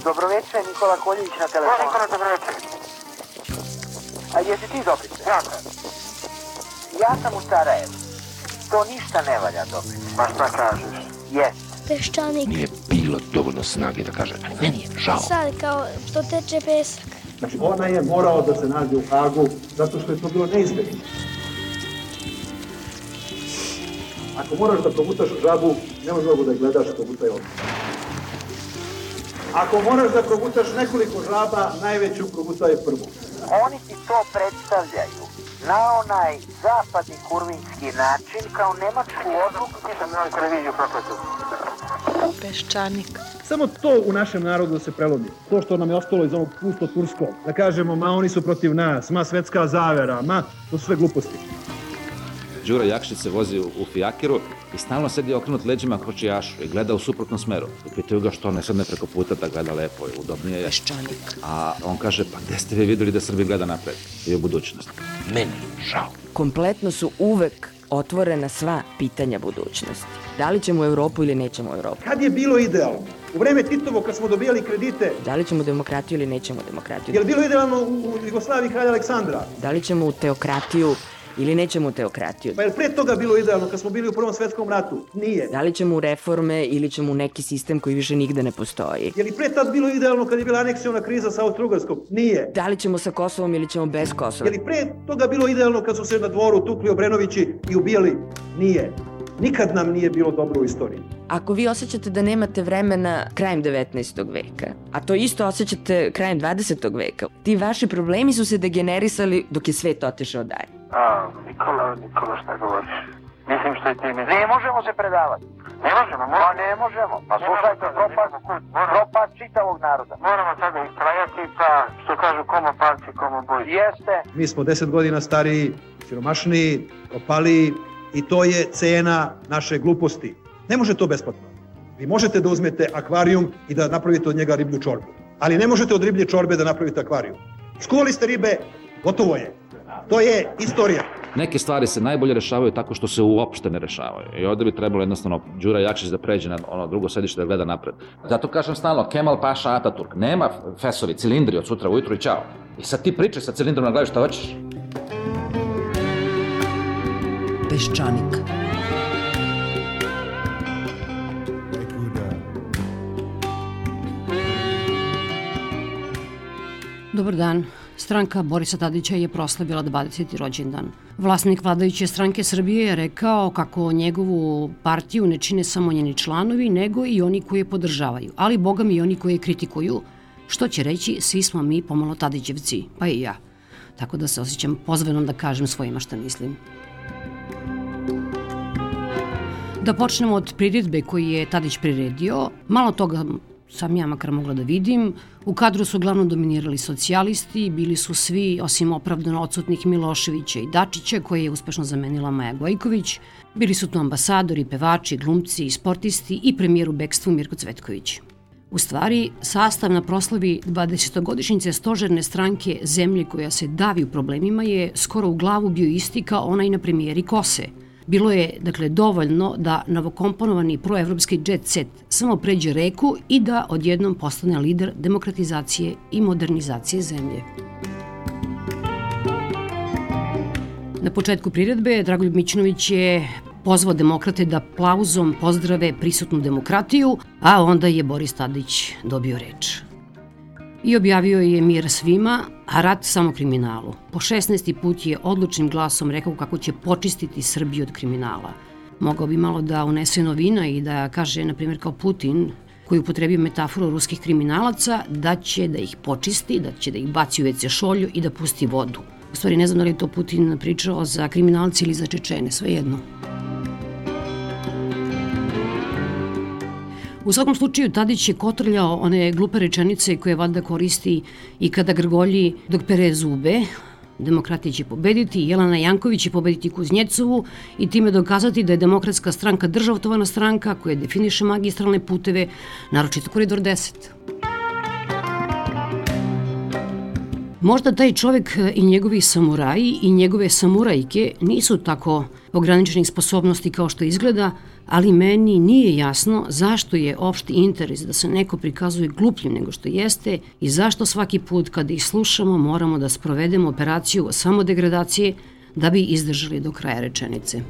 Dobroveče, Nikola Koljević na telefonu. Nikola, dobroveče. A jesi ti Dobrice? Ja sam. Ja sam u Sarajevu. To ništa ne valja, Dobrice. Pa šta kažeš? Jes. Peščanik. Nije bilo dovoljno snage da kaže, meni je žao. Sad kao što teče pesak. Znači ona je morao da se nađe u Hagu zato što je to bilo neizbježno. Ako moraš da progutaš žabu, nema mnogo da je gledaš, progutaj odmah. Ako moraš da progutaš nekoliko žaba, najveću progutaj prvu. Oni ti to predstavljaju na onaj zapadni kurvinski način kao nemačku odluku. Nisam na televiziju prokletu. Peščanik. Samo to u našem narodu se prelomi. To što nam je ostalo iz ovog pusto-turskog. Da kažemo, ma oni su protiv nas, ma svetska zavera, ma to su sve gluposti. Đura Jakšić se vozi u fijakeru i stalno sedi okrenut leđima kočijašu i gleda u suprotnom smeru. I pitaju ga što ne sedne preko puta da gleda lepo i udobnije je. Peščanik. A on kaže, pa gde ste vi videli da Srbija gleda napred i u budućnost? Meni žao. Kompletno su uvek otvorena sva pitanja budućnosti. Da li ćemo u Evropu ili nećemo u Evropu? Kad je bilo idealno? U vreme Titovo, kad smo dobijali kredite, Da li ćemo demokratiju ili nećemo demokratiju? je li bilo idealno u Jugoslaviji kralja Aleksandra? Da li ćemo u teokratiju ili nećemo u teokratiju? Pa je li pre toga bilo idealno kad smo bili u Prvom svetskom ratu? Nije. Da li ćemo u reforme ili ćemo u neki sistem koji više nigde ne postoji? Je li pre tad bilo idealno kad je bila aneksiona kriza sa Austro-Ugarskom? Nije. Da li ćemo sa Kosovom ili ćemo bez Kosova? Je li pre toga bilo idealno kad su se na dvoru tukli Obrenovići i ubijali? Nije. Nikad nam nije bilo dobro u istoriji. Ako vi osjećate da nemate vremena krajem 19. veka, a to isto osjećate krajem 20. veka, ti vaši problemi su se degenerisali dok je svet otišao dalje. Nikola, šta govoriš? Mislim što je ti mi... Ne možemo se predavati. Ne možemo, Pa ne možemo. Pa slušajte, propast čitavog naroda. Moramo sada istrajati, pa što kažu komo palci, komo boj. Jeste. Mi smo 10 godina stariji, siromašniji, propaliji i to je cena naše gluposti. Ne može to besplatno. Vi možete da uzmete akvarijum i da napravite od njega riblju čorbu. Ali ne možete od riblje čorbe da napravite akvarijum. Skuvali ste ribe, gotovo je. To je istorija. Neke stvari se najbolje rešavaju tako što se uopšte ne rešavaju. I ovde bi trebalo jednostavno Đura Jakšić da pređe na ono drugo sedište da gleda napred. Zato kažem stalno, Kemal Paša Ataturk. Nema fesovi, cilindri od sutra ujutru i čao. I sad ti pričaj sa cilindrom na glavi šta hoćeš. Peščanik. Dobar dan. Stranka Borisa Tadića je proslavila 20. rođendan. Vlasnik vladajuće stranke Srbije je rekao kako njegovu partiju ne čine samo njeni članovi, nego i oni koji je podržavaju, ali boga mi i oni koji je kritikuju, što će reći svi smo mi pomalo Tadićevci, pa i ja. Tako da se osjećam pozvanom da kažem svojima šta mislim. Da počnemo od priredbe koju je Tadić priredio. Malo toga sam ja makar mogla da vidim. U kadru su uglavnom dominirali socijalisti, bili su svi, osim opravdano odsutnih Miloševića i Dačića, koje je uspešno zamenila Maja Gojković. Bili su tu ambasadori, pevači, glumci, sportisti i premijer u bekstvu Mirko Cvetković. U stvari, sastav na proslavi 20-godišnjice stožerne stranke zemlje koja se davi u problemima je skoro u glavu bio isti kao onaj na premijeri Kose. Bilo je, dakle, dovoljno da novokomponovani proevropski jet set samo pređe reku i da odjednom postane lider demokratizacije i modernizacije zemlje. Na početku priredbe Dragoljub Mićunović je pozvao demokrate da aplauzom pozdrave prisutnu demokratiju, a onda je Boris Tadić dobio reč. I objavio je mir svima, a rat samo kriminalu. Po 16. put je odlučnim glasom rekao kako će počistiti Srbiju od kriminala. Mogao bi malo da unese novina i da kaže, na primjer, kao Putin, koji upotrebio metaforu ruskih kriminalaca, da će da ih počisti, da će da ih baci u WC šolju i da pusti vodu. U stvari, ne znam da li je to Putin pričao za kriminalce ili za Čečene, svejedno. U svakom slučaju, Tadić je kotrljao one glupe rečenice koje valjda koristi i kada grgolji dok pere zube. Demokratija će pobediti, Jelena Janković će pobediti Kuznjecovu i time dokazati da je Demokratska stranka državotvorna stranka koja definiše magistralne puteve, naročito Koridor 10. Možda taj čovek i njegovi samuraji i njegove samurajke nisu tako ograničenih sposobnosti kao što izgleda, ali meni nije jasno zašto je opšti interes da se neko prikazuje glupljim nego što jeste i zašto svaki put kada ih slušamo moramo da sprovedemo operaciju samodegradacije da bi izdržali do kraja rečenice.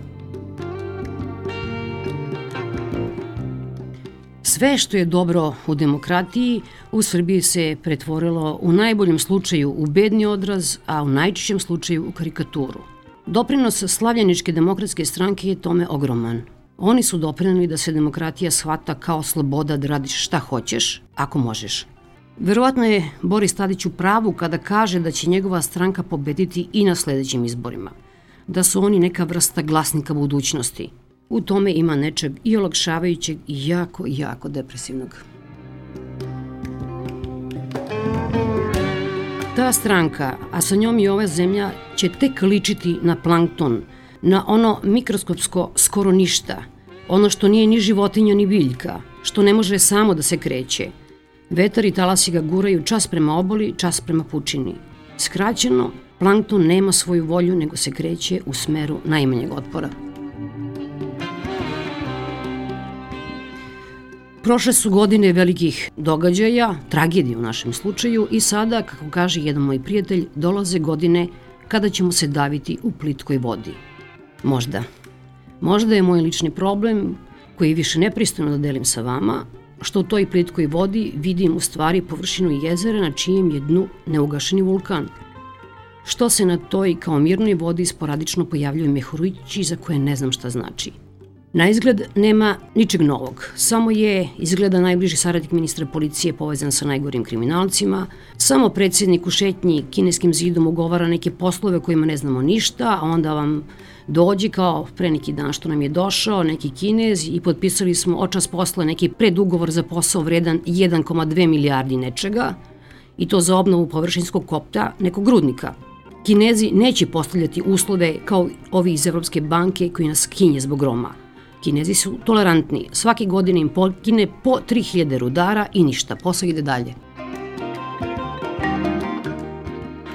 Sve što je dobro u demokratiji u Srbiji se pretvorilo u najboljem slučaju u bedni odraz, a u najčešćem slučaju u karikaturu. Doprinos Slavljeničke demokratske stranke je tome ogroman. Oni su doprineli da se demokratija shvata kao sloboda da radiš šta hoćeš, ako možeš. Verovatno je Boris Tadić u pravu kada kaže da će njegova stranka pobediti i na sledećim izborima. Da su oni neka vrsta glasnika budućnosti. U tome ima nečeg i olakšavajućeg i jako depresivnog. Ta stranka, a sa njom i ova zemlja, će tek ličiti na plankton, na ono mikroskopsko skoro ništa, ono što nije ni životinja ni biljka, što ne može samo da se kreće. Vetar i talasi ga guraju čas prema obali, čas prema pučini. Skraćeno, plankton nema svoju volju nego se kreće u smeru najmanjeg otpora. Prošle su godine velikih događaja, tragedije u našem slučaju i sada, kako kaže jedan moj prijatelj, dolaze godine kada ćemo se daviti u plitkoj vodi. Možda. Možda je moj lični problem, koji više nepristojno da delim sa vama, što u toj plitkoj vodi vidim u stvari površinu jezera na čijem je dnu neugašeni vulkan. Što se na toj kao mirnoj vodi sporadično pojavljuju mehurići za koje ne znam šta znači. Na izgled nema ničeg novog, samo je izgleda najbliži saradnik ministra policije povezan sa najgorim kriminalcima, samo predsjednik u šetnji kineskim zidom ugovara neke poslove kojima ne znamo ništa, a onda vam dođe kao pre neki dan što nam je došao neki Kinez i potpisali smo očas posle neki predugovor za posao vredan 1,2 milijardi nečega i to za obnovu površinskog kopta nekog rudnika. Kinezi neće postavljati uslove kao ovi iz Evropske banke koji nas kinje zbog Roma. Kinezi su tolerantni, svake godine im pokine po 3000 rudara i ništa, posao ide dalje.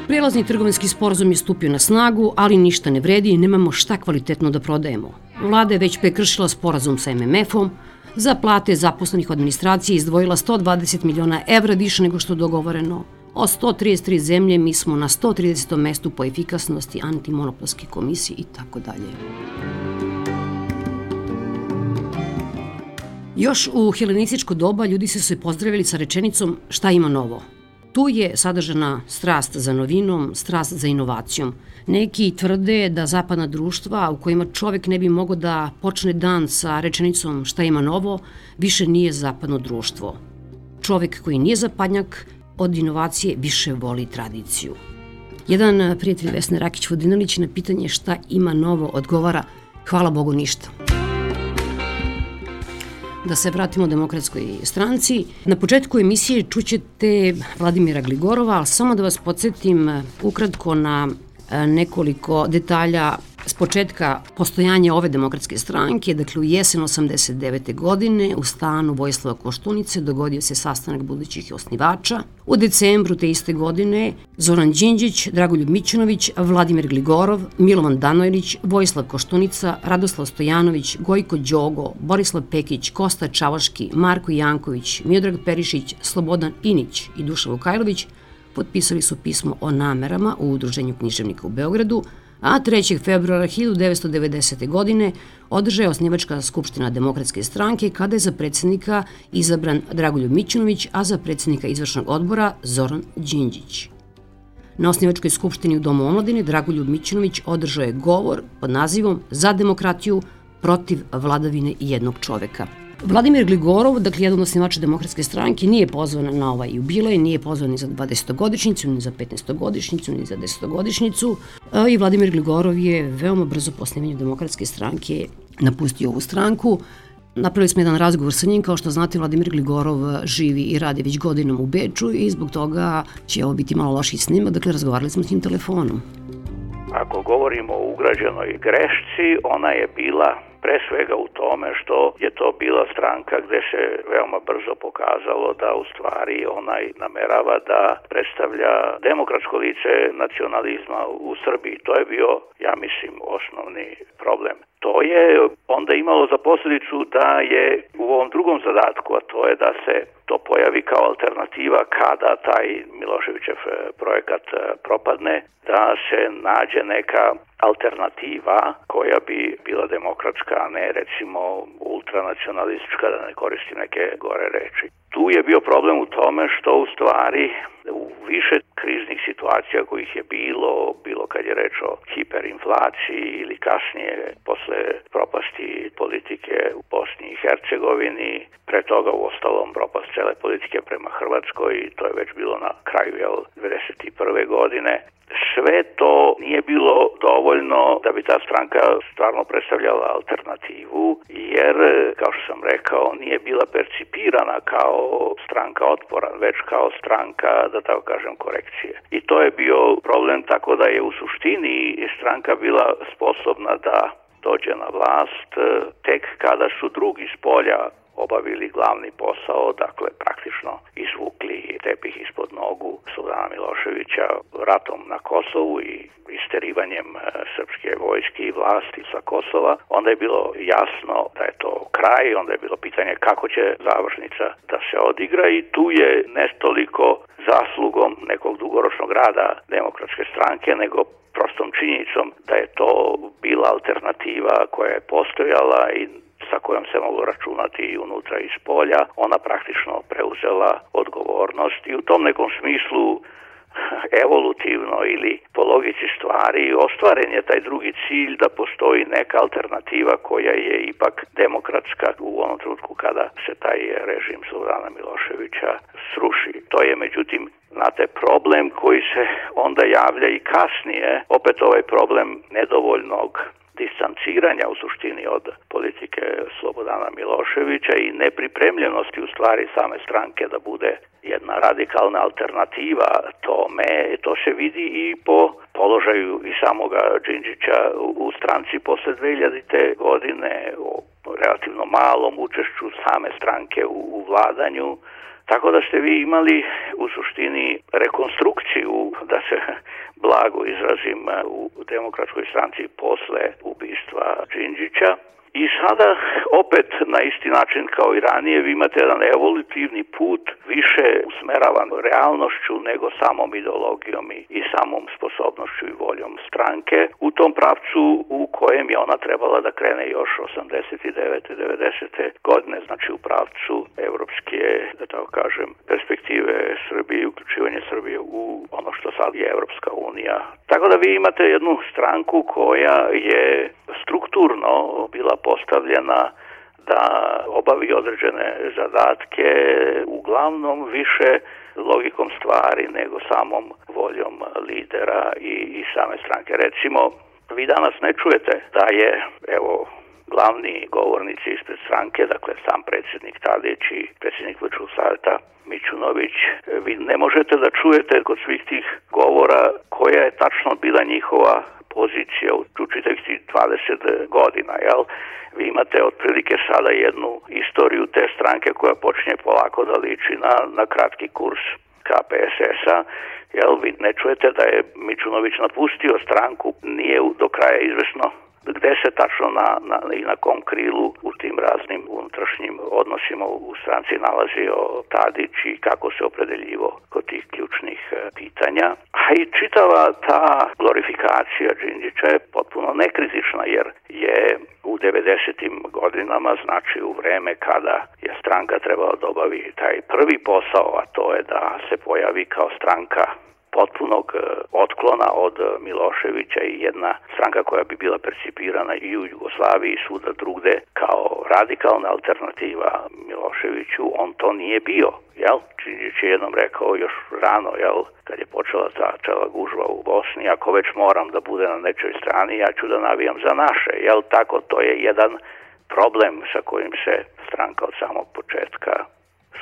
Prelazni trgovinski sporazum je stupio na snagu, ali ništa ne vredi i nemamo šta kvalitetno da prodajemo. Vlada je već prekršila sporazum sa MMF-om, za plate zaposlenih u administraciji izdvojila 120 miliona evra više nego što je dogovoreno. Od 133 zemlje mi smo na 130. mestu po efikasnosti antimonopolske komisije i tako dalje. Još u helenističko doba ljudi su se pozdravili sa rečenicom šta ima novo. Tu je sadržana strast za novinom, strast za inovacijom. Neki tvrde da zapadna društva u kojima čovek ne bi mogao da počne dan sa rečenicom šta ima novo, više nije zapadno društvo. Čovek koji nije zapadnjak od inovacije više voli tradiciju. Jedan prijatelj Vesne Rakić-Vodinelić na pitanje šta ima novo odgovara hvala Bogu ništa. Da se vratimo Demokratskoj stranci. Na početku emisije čućete Vladimira Gligorova, ali samo da vas podsjetim ukratko na nekoliko detalja s početka postojanja ove demokratske stranke. Dakle, u jesen 89. godine u stanu Vojislava Koštunice dogodio se sastanak budućih osnivača. U decembru te iste godine Zoran Đinđić, Dragoljub Mićunović, Vladimir Gligorov, Milovan Danojlić, Vojislav Koštunica, Radoslav Stojanović, Gojko Đogo, Borislav Pekić, Kosta Čavaški, Marko Janković, Miodrag Perišić, Slobodan Inić i Dušan Vukajlović potpisali su pismo o namerama u Udruženju književnika u Beogradu, a 3. februara 1990. godine održaje osnivačka skupština Demokratske stranke kada je za predsjednika izabran Dragoljub Mićunović, a za predsjednika izvršnog odbora Zoran Đinđić. Na osnivačkoj skupštini u Domu omladine Dragoljub Mićunović održao je govor pod nazivom Za demokratiju protiv vladavine jednog čoveka. Vladimir Gligorov, dakle jedan od osnivača Demokratske stranke, nije pozvan na ovaj jubilej, nije pozvan ni za 20-godišnjicu, ni za 15-godišnjicu, ni za 10-godišnjicu i Vladimir Gligorov je veoma brzo po osnivanju Demokratske stranke napustio ovu stranku. Napravili smo jedan razgovor sa njim, kao što znate Vladimir Gligorov živi i radi već godinom u Beču i zbog toga će ovo biti malo lošiji snimak, dakle razgovarali smo s njim telefonom. Ako govorimo o ugrađenoj grešci, ona je bila pre svega u tome što je to bila stranka gde se veoma brzo pokazalo da u stvari onaj namerava da predstavlja demokratsko lice nacionalizma u Srbiji. To je bio, ja mislim, osnovni problem. To je onda imalo za posljedicu da je u ovom drugom zadatku, a to je da se to pojavi kao alternativa kada taj Miloševićev projekat propadne, da se nađe neka alternativa koja bi bila demokratska, a ne recimo ultranacionalistička, da ne koristim neke gore reči. Tu je bio problem u tome što u stvari u više kriznih situacija kojih je bilo kad je reč o hiperinflaciji ili kasnije posle propasti politike u Bosni i Hercegovini, pre toga u ostalom propast cele politike prema Hrvatskoj, to je već bilo na kraju 1991. godine. Sve to nije bilo dovoljno da bi ta stranka stvarno predstavljala alternativu, jer, kao što sam rekao, nije bila percipirana kao stranka otpora, već kao stranka, da tako kažem, korekcije. I to je bio problem, tako da je u suštini stranka bila sposobna da dođe na vlast tek kada su drugi s polja obavili glavni posao, dakle praktično izvukli tepih ispod nogu Slobodana Miloševića ratom na Kosovu i isterivanjem srpske vojske i vlasti sa Kosova. Onda je bilo jasno da je to kraj, onda je bilo pitanje kako će završnica da se odigra i tu je ne toliko zaslugom nekog dugoročnog rada Demokratske stranke, nego prostom činjenicom da je to bila alternativa koja je postojala i sa kojom se moglo računati i unutra i iz polja, ona praktično preuzela odgovornost i u tom nekom smislu evolutivno ili po logici stvari ostvaren je taj drugi cilj da postoji neka alternativa koja je ipak demokratska u onom trenutku kada se taj režim Slobodana Miloševića sruši. To je međutim znate, problem koji se onda javlja i kasnije, opet ovaj problem nedovoljnog distanciranja u suštini od politike Slobodana Miloševića i nepripremljenosti u stvari same stranke da bude jedna radikalna alternativa tome, to se vidi i po položaju i samoga Đinđića u stranci posle 2000. godine, o relativno malom učešću same stranke u vladanju. Tako da ste vi imali u suštini rekonstrukciju, da se blago izrazim, u Demokratskoj stranci posle ubistva Đinđića. I sada opet na isti način kao i ranije vi imate jedan evolutivni put više usmeravan realnošću nego samom ideologijom i samom sposobnošću i voljom stranke u tom pravcu u kojem je ona trebala da krene još 89. 90. godine, znači u pravcu evropske, da tako kažem, perspektive Srbije, uključivanje Srbije u ono što sad je Evropska unija. Tako da vi imate jednu stranku koja je strukturno bila postavljena da obavi određene zadatke, uglavnom više logikom stvari nego samom voljom lidera i same stranke. Recimo, vi danas ne čujete da je, evo, glavni govornici ispred stranke, dakle sam predsjednik Tadić i predsjednik Vrškog savjeta Mićunović, vi ne možete da čujete kod svih tih govora koja je tačno bila njihova pozicija u čitavih 20 godina, jel? Vi imate otprilike sada jednu istoriju te stranke koja počinje polako da liči na kratki kurs KPSS-a, jel? Vi ne čujete da je Mićunović napustio stranku, nije do kraja izvesno gde se tačno i na kom krilu u tim raznim unutrašnjim odnosima u stranci nalazio Tadić i kako se opredeljivo kod tih ključnih pitanja. A i čitava ta glorifikacija Đinđića je potpuno nekritična, jer je u 90. godinama, znači u vreme kada je stranka trebala da obavi taj prvi posao, a to je da se pojavi kao stranka potpunog otklona od Miloševića i jedna stranka koja bi bila percipirana i u Jugoslaviji i svuda drugde kao radikalna alternativa Miloševiću, on to nije bio, jel? Đinđić je jednom rekao još rano, jel, kad je počela ta čela gužva u Bosni, ako već moram da bude na nečoj strani, ja ću da navijam za naše, jel? Tako, to je jedan problem sa kojim se stranka od samog početka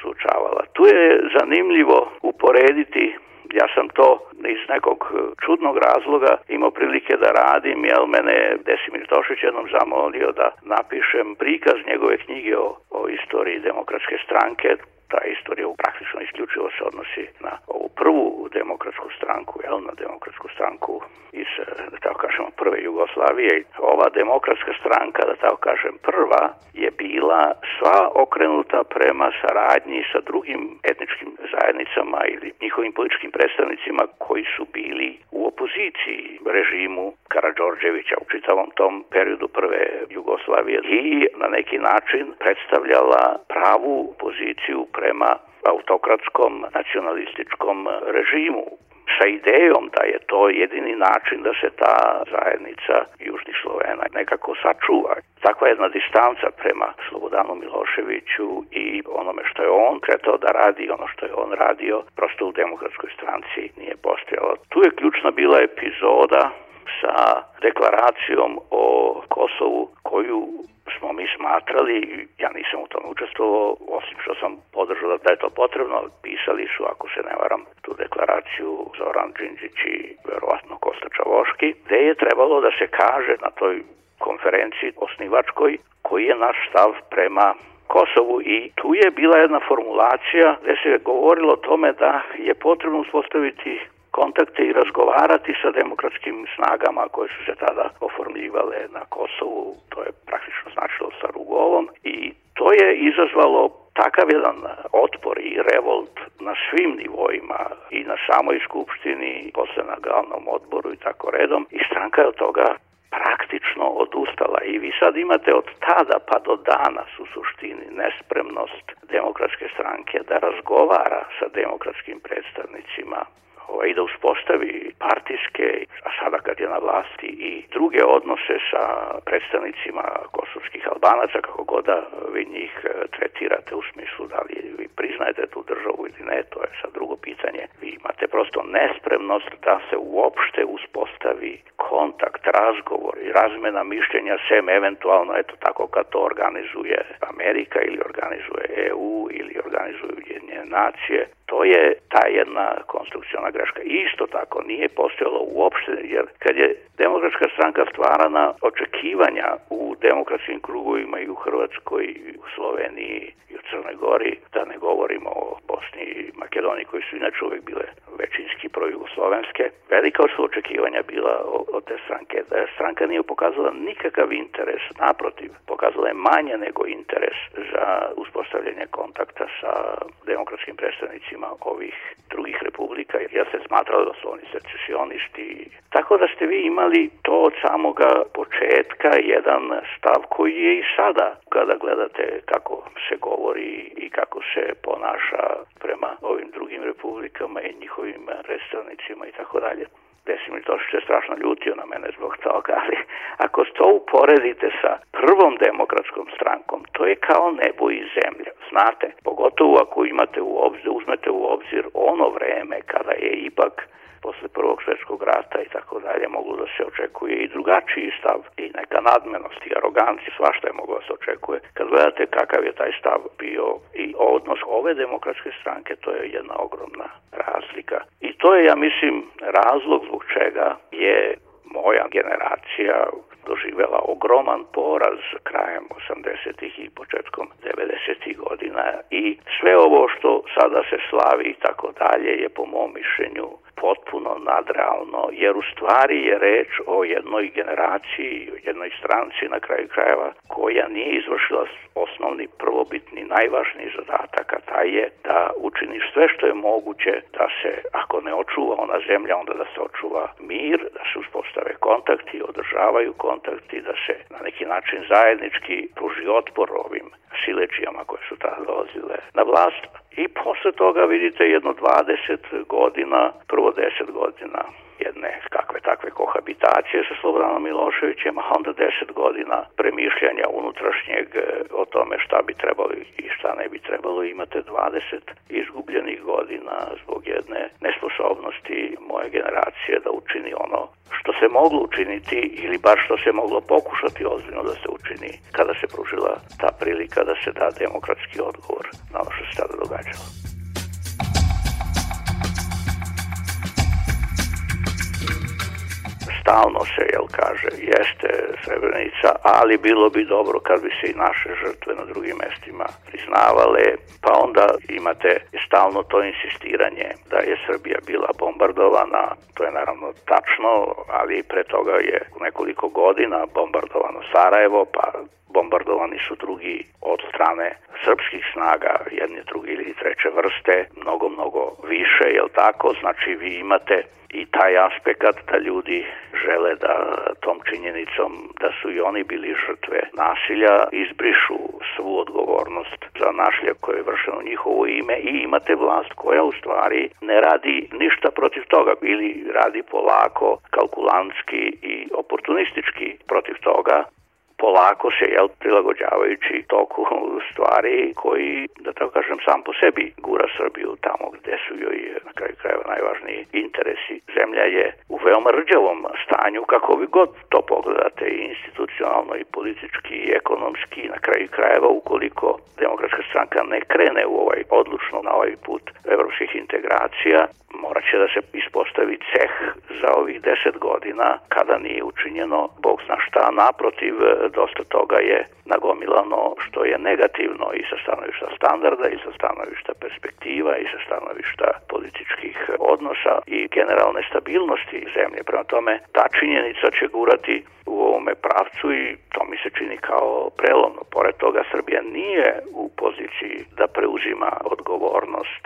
suočavala. Tu je zanimljivo uporediti Ja sam to iz nekog čudnog razloga imao prilike da radim, jer mene Desimir Tošić jednom zamolio da napišem prikaz njegove knjige o istoriji Demokratske stranke. Ta istorija praktično isključivo se odnosi na ovu prvu demokratsku stranku, na demokratsku stranku iz, da tako kažemo, prve Jugoslavije. Ova demokratska stranka, da tako kažem, prva je bila sva okrenuta prema saradnji sa drugim etničkim zajednicama ili njihovim političkim predstavnicima koji su bili u opoziciji režimu Karađorđevića u čitavom tom periodu prve Jugoslavije i na neki način predstavljala pravu poziciju prema autokratskom nacionalističkom režimu sa idejom da je to jedini način da se ta zajednica Južnih Slovena nekako sačuva. Takva jedna distanca prema Slobodanu Miloševiću i onome što je on kretao da radi, ono što je on radio, prosto u Demokratskoj stranci nije postojalo. Tu je ključna bila epizoda sa deklaracijom o Kosovu koju smo mi smatrali, ja nisam u tom učestvovao, osim što sam podržao da je to potrebno, pisali su, ako se ne varam, tu deklaraciju Zoran Đinđić i verovatno Kosta Čavoški, gde je trebalo da se kaže na toj konferenciji osnivačkoj koji je naš stav prema Kosovu i tu je bila jedna formulacija gde se govorilo o tome da je potrebno uspostaviti kontakte i razgovarati sa demokratskim snagama koje su se tada oformljivale na Kosovu, to je praktično značilo sa Rugovom i to je izazvalo takav jedan otpor i revolt na svim nivoima i na samoj skupštini, posle na glavnom odboru i tako redom i stranka je od toga praktično odustala i vi sad imate od tada pa do danas u suštini nespremnost Demokratske stranke da razgovara sa demokratskim predstavnicima i da uspostavi partijske, a sada kad je na vlasti i druge odnose sa predstavnicima kosovskih Albanaca, kako god da vi njih tretirate u smislu da li vi priznajete tu državu ili ne, to je sad drugo pitanje. Vi imate prosto nespremnost da se uopšte uspostavi kontakt, razgovor i razmena mišljenja sem eventualno, eto tako kad to organizuje Amerika ili organizuje EU ili organizuju Ujedinjene nacije. To je ta jedna konstrukciona greška. Isto tako nije postojalo uopšte, jer kad je Demokratska stranka stvarana, očekivanja u demokratskim krugovima i u Hrvatskoj, i u Sloveniji, i u Crnoj Gori, da ne govorimo o Bosni i Makedoniji, koji su inače uvek bile većinski projugoslovenske, velika su očekivanja bila od te stranke. Da stranka nije pokazala nikakav interes, naprotiv, pokazala je manje nego interes za uspostavljanje kontakta sa demokratskim predstavnicima ovih drugih republika, jer se smatralo da su oni secesionisti. Tako da ste vi imali to od samoga početka jedan stav koji je i sada, kada gledate kako se govori i kako se ponaša prema ovim drugim republikama i njihovim predstavnicima i tako dalje. Desimir Tošić je strašno ljutio na mene zbog toga, ali ako to uporedite sa prvom demokratskom strankom, to je kao nebo i zemlja. Znate, pogotovo ako uzmete u obzir ono vreme kada je ipak posle Prvog svjetskog rata i tako dalje moglo da se očekuje i drugačiji stav i neka nadmenost i arogancija, svašta je moglo da se očekuje. Kad gledate kakav je taj stav bio i odnos ove demokratske stranke, to je jedna ogromna razlika. I to je, ja mislim, razlog zbog čega je moja generacija doživjela ogroman poraz krajem 80-ih i početkom 90-ih godina i sve ovo što sada se slavi i tako dalje je po mom mišljenju potpuno nadrealno, jer u stvari je reč o jednoj generaciji, o jednoj stranci na kraju krajeva koja nije izvršila osnovni, prvobitni, najvažniji zadatak, a taj je da učini sve što je moguće da se, ako ne očuva ona zemlja, onda da se očuva mir, da se uspostave kontakti, održavaju kontakti, da se na neki način zajednički pruži otpor ovim siledžijama koje su tada dolazile na vlast. I posle toga vidite jedno 20 godina, prvo 10 godina jedne kakve takve kohabitacije sa Slobodanom Miloševićem, a onda 10 godina premišljanja unutrašnjeg o tome šta bi trebalo i šta ne bi trebalo. Imate 20 izgubljenih godina zbog jedne nesposobnosti moje generacije da učini ono što se moglo učiniti ili bar što se moglo pokušati ozbiljno da se učini kada se pružila ta prilika da se da demokratski odgovor na ono što se tada događalo. stalno se, kaže, jeste Srebrenica, ali bilo bi dobro kad bi se i naše žrtve na drugim mestima priznavale, pa onda imate stalno to insistiranje da je Srbija bila bombardovana. To je naravno tačno, ali pre toga je nekoliko godina bombardovano Sarajevo, pa bombardovani su drugi od strane srpskih snaga, jedne, druge ili treće vrste, mnogo više, jel tako? Znači vi imate i taj aspekt da ljudi žele da tom činjenicom da su i oni bili žrtve nasilja izbrišu svu odgovornost za nasilje koje je vršeno u njihovo ime i imate vlast koja u stvari ne radi ništa protiv toga ili radi polako, kalkulantski i oportunistički protiv toga, polako se, prilagođavajući toku stvari koji, da tako kažem, sam po sebi gura Srbiju tamo gde su joj na kraju krajeva najvažniji interesi. Zemlja je u veoma rđavom stanju, kako vi god to pogledate, i institucionalno, i politički, i ekonomski, na kraju krajeva, ukoliko Demokratska stranka ne krene u odlučno na ovaj put evropskih integracija, morat će da se ispostavi ceh za ovih 10 godina kada nije učinjeno bog zna šta. Naprotiv, dosta toga je nagomilano što je negativno i sa stanovišta standarda i sa stanovišta perspektiva i sa stanovišta političkih odnosa i generalne stabilnosti zemlje. Prema tome, ta činjenica će gurati u ovome pravcu i to mi se čini kao prelomno. Pored toga, Srbija nije u poziciji da preuzima odgovornost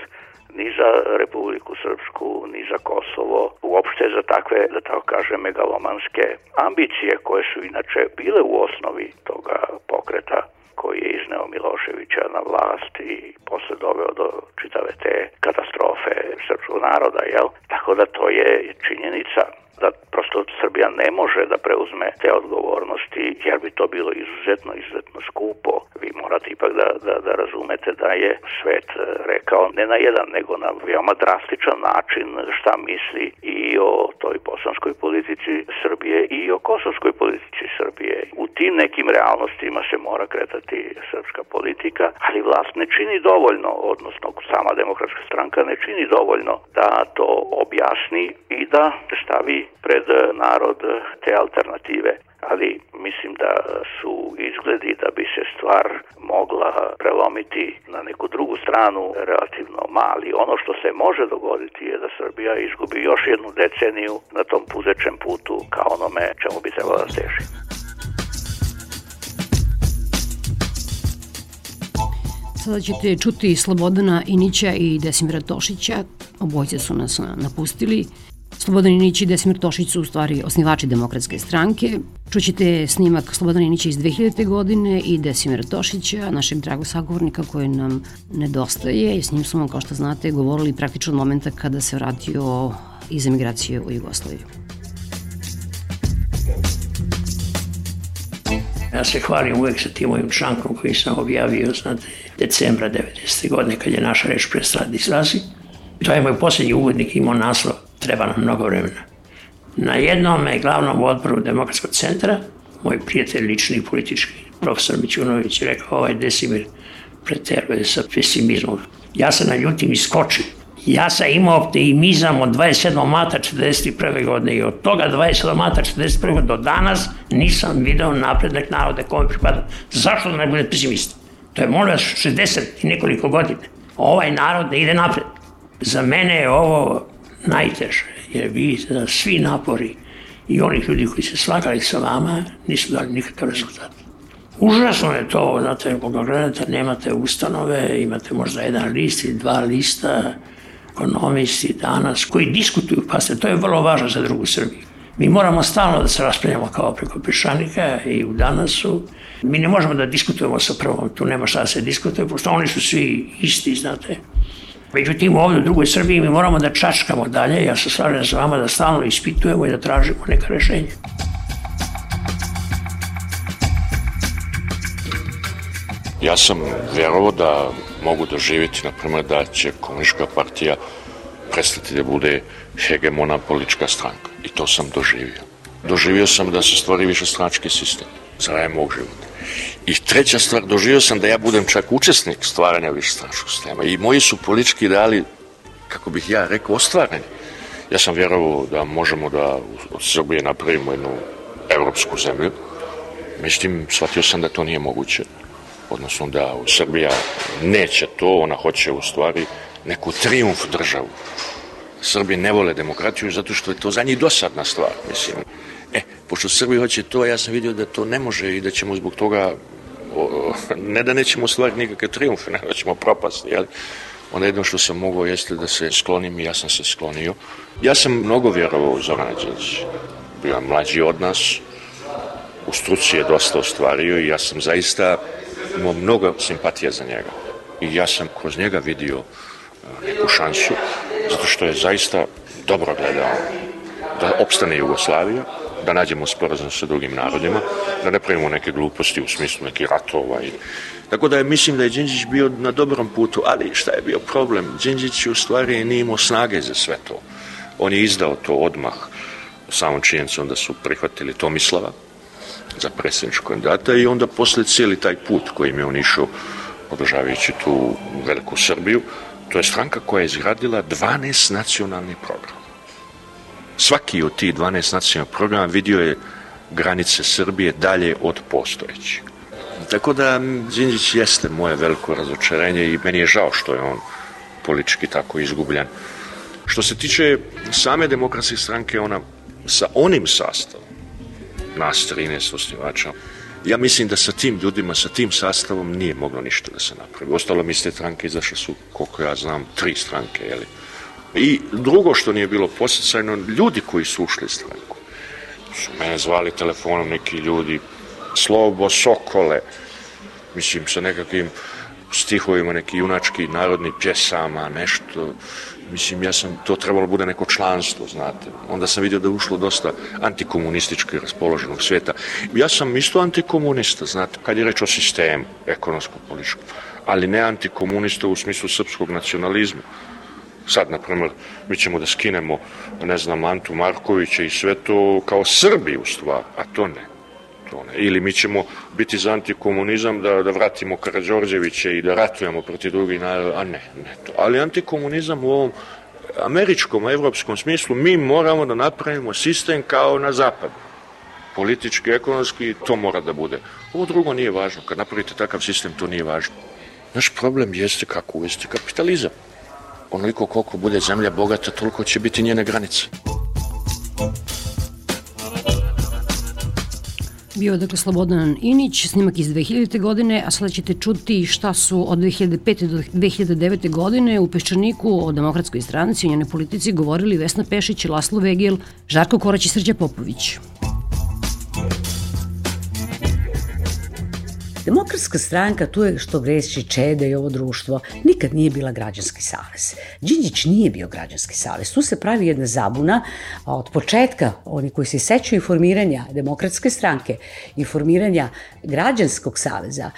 ni za Republiku Srpsku, ni za Kosovo, uopšte za takve, da tako kažem, megalomanske ambicije koje su inače bile u osnovi toga pokreta koji je izneo Miloševića na vlast i posle doveo do čitave te katastrofe srpskog naroda, jel? Tako da to je činjenica da prosto Srbija ne može da preuzme te odgovornosti, jer bi to bilo izuzetno skupo. Vi morate ipak da razumete da je svet rekao ne na jedan, nego na veoma drastičan način šta misli i o toj bosanskoj politici Srbije i o kosovskoj politici Srbije. U tim nekim realnostima se mora kretati srpska politika, ali vlast ne čini dovoljno, odnosno sama Demokratska stranka ne čini dovoljno da to objasni i da stavi pred narod te alternative. Ali mislim da su izgledi da bi se stvar mogla prelomiti na neku drugu stranu relativno mali. Ono što se može dogoditi je da Srbija izgubi još jednu deceniju na tom puzećem putu kao onome čemu bi trebalo da teži. Sada ćete čuti Slobodana Inića i Desimira Tošića. Obojice su nas napustili. Slobodan Inić i Desimir Tošić su u stvari osnivači Demokratske stranke. Čućete snimak Slobodana Inića iz 2000. godine i Desimira Tošića, našeg dragog sagovornika koji nam nedostaje. I s njim smo, kao što znate, govorili praktično od momenta kada se vratio iz emigracije u Jugoslaviju. Ja se hvalim uvek sa tim mojim člankom koji sam objavio, znate, decembra 90. godine kad je naša reč prestala da izlazi. To je moj posljednji uvodnik, imao naslov "Treba nam mnogo vremena". Na jednom glavnom odboru Demokratskog centra, moj prijatelj lični i politički, profesor Mićunović, je rekao: Desimir preteruje sa pesimizmom. Ja sam naljutim i skočim. Ja sam imao optimizam od 27. marta 1941. godine i od toga 27. marta 1941. godine do danas nisam video napredak naroda kome pripada. Zašto da ne bude pesimista? To je, molim vas, 60 i nekoliko godina. Ovaj narod ne ide napred. Za mene je ovo najteže, jer vi svi napori i onih ljudi koji se slagali sa vama nisu dali nikakav rezultat. Užasno je to, znate, koga gledate, nemate ustanove, imate možda jedan list ili dva lista, ekonomisti danas koji diskutuju, pa to je vrlo važno za drugu Srbiju. Mi moramo stalno da se raspravljamo kao preko peščanika i u Danasu. Mi ne možemo da diskutujemo sa prvom, tu nema šta da se diskutuje, pošto oni su svi isti, znate. Međutim, ovdje u drugoj Srbiji mi moramo da čačkamo dalje, ja se slažem sa vama da stalno ispitujemo i da tražimo neka rešenja. Ja sam vjerovao da mogu doživjeti, na primjer, da će Komunistička partija prestati da bude hegemona politička stranka. I to sam doživio. Doživio sam da se stvori višestranački sistem za raje mog života. I treća stvar, doživio sam da ja budem čak učesnik stvaranja višestranačkog sistema. I moji su politički ideali, kako bih ja rekao, ostvareni. Ja sam vjerovao da možemo da od Srbije napravimo jednu evropsku zemlju. Međutim, shvatio sam da to nije moguće. Odnosno da Srbija neće to, ona hoće u stvari neku trijumf državu. Srbi ne vole demokratiju zato što je to za njih dosadna stvar, mislim. Pošto Srbi hoće to, ja sam vidio da to ne može i da ćemo zbog toga, ne da nećemo ostvariti nikakve trijumfe, nego da ćemo propasti, jel? Onda jedno što sam mogao jeste da se sklonim i ja sam se sklonio. Ja sam mnogo vjerovao u Zorana Đinđića. Bio je mlađi od nas, u struci je dosta ostvario i ja sam zaista imao mnogo simpatije za njega. I ja sam kroz njega vidio neku šansu, zato što je zaista dobro gledao da opstane Jugoslavija, da nađemo sporazum sa drugim narodima, da ne pravimo neke gluposti u smislu nekih ratova. Tako da mislim da je Đinđić bio na dobrom putu, ali šta je bio problem? Đinđić u stvari nije imao snage za sve to. On je izdao to odmah samom činjenicom da su prihvatili Tomislava za predsjedničkog kandidata i onda posle cijeli taj put kojim je on išao podržavajući tu veliku Srbiju, to je stranka koja je izgradila 12 nacionalnih programa. Svaki od tih 12 nacionalnih programa vidio je granice Srbije dalje od postojećih. Tako da Đinđić jeste moje veliko razočarenje i meni je žao što je on politički tako izgubljen. Što se tiče same demokratske stranke, ona sa onim sastavom, nas 13 osnivača, ja mislim da sa tim ljudima, sa tim sastavom nije moglo ništa da se napravi. Ostalo mi iz te stranke izašle su, koliko ja znam, 3 stranke, jeli? I drugo što nije bilo podsticajno, ljudi koji su ušli u stranku. Su mene zvali telefonom neki ljudi, Slobo, Sokole, mislim sa nekakvim stihovima, neki junački narodni pjesama, nešto. Mislim, ja sam, to trebalo bude neko članstvo, znate. Onda sam vidio da je ušlo dosta antikomunistički raspoloženog svijeta. Ja sam isto antikomunista, znate, kad je reč o sistemu, ekonomsko-političkom, ali ne antikomunista u smislu srpskog nacionalizma. Sad, na primjer, mi ćemo da skinemo, ne znam, Antu Markovića i sve to kao Srbi u stvari, a to ne. Ili mi ćemo biti za antikomunizam da vratimo Karađorđevića i da ratujemo protiv drugih naroda, a ne to. Ali antikomunizam u ovom američkom, evropskom smislu, mi moramo da napravimo sistem kao na zapadu. Politički, ekonomski, to mora da bude. Ovo drugo nije važno. Kad napravite takav sistem, to nije važno. Naš problem jeste kako uvesti kapitalizam. Onoliko koliko bude zemlja bogata, toliko će biti njene granice. Bio je dakle Slobodan Inić, snimak iz 2000. godine, a sada ćete čuti šta su od 2005. do 2009. godine u Peščaniku o Demokratskoj stranci i njenoj politici govorili Vesna Pešić, Laslo Vegel, Žarko Korać i Srđan Popović. Demokratska stranka, tu je što greši Čede i ovo društvo, nikad nije bila građanski savez. Đinđić nije bio građanski savez. Tu se pravi jedna zabuna, a od početka, oni koji se sećaju formiranja Demokratske stranke i formiranja građanskog saveza,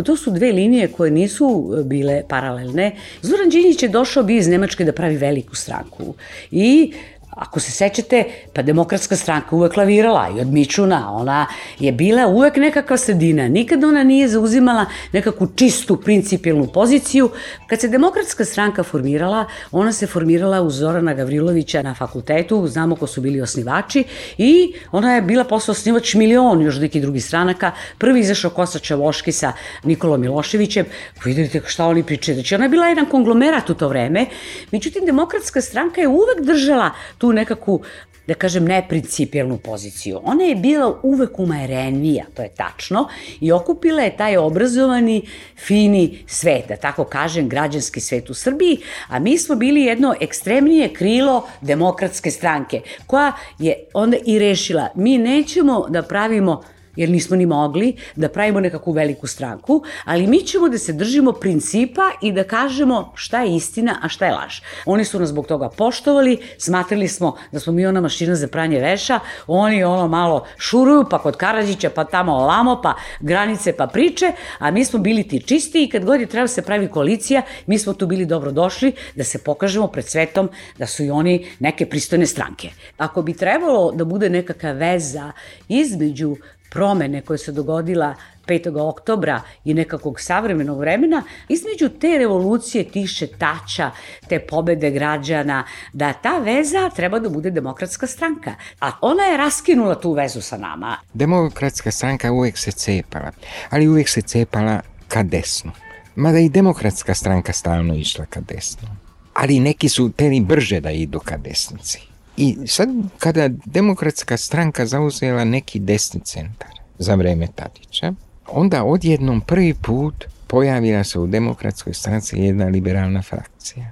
to su dve linije koje nisu bile paralelne. Zoran Đinđić je došao bi iz Nemačke da pravi veliku stranku i ako se sećate, pa Demokratska stranka uvek lavirala i od Mičuna, ona je bila uvek nekakva sredina, nikada ona nije zauzimala nekakvu čistu, principijelnu poziciju. Kad se Demokratska stranka formirala, ona se formirala uz Zorana Gavrilovića na fakultetu, znamo ko su bili osnivači, i ona je bila posle osnivač milion još nekih drugih stranaka. Prvi izašao Kosta Čavoški sa Nikolom Miloševićem, vidite šta oni pričaju, znači ona je bila jedan konglomerat u to vreme, međutim Demokratska stranka je uvek držala tu nekakvu, da kažem, neprincipijelnu poziciju. Ona je bila uvek umerenija, to je tačno, i okupila je taj obrazovani, fini svet, da tako kažem, građanski svet u Srbiji, a mi smo bili jedno ekstremnije krilo Demokratske stranke, koja je onda i rešila, mi nećemo da pravimo, jer nismo ni mogli, da pravimo nekakvu veliku stranku, ali mi ćemo da se držimo principa i da kažemo šta je istina, a šta je laž. Oni su nas zbog toga poštovali, smatrali smo da smo mi ona mašina za pranje veša, oni ono malo šuruju, pa kod Karadžića, pa tamo ovamo, pa granice, pa priče, a mi smo bili ti čisti i kad god je trebalo se pravi koalicija, mi smo tu bili dobrodošli da se pokažemo pred svetom da su i oni neke pristojne stranke. Ako bi trebalo da bude nekakva veza između promene koje se dogodila 5. oktobra i nekakvog savremenog vremena, između te revolucije, tih šetača, te pobede građana, da ta veza treba da bude Demokratska stranka. A ona je raskinula tu vezu sa nama. Demokratska stranka uvek se cepala, ali uvek se cepala ka desnu. Mada i Demokratska stranka stalno išla ka desnu. Ali neki su teli brže da idu ka desnici. I sad, kada Demokratska stranka zauzela neki desni centar za vreme Tadića, onda odjednom prvi put pojavila se u Demokratskoj stranci jedna liberalna frakcija.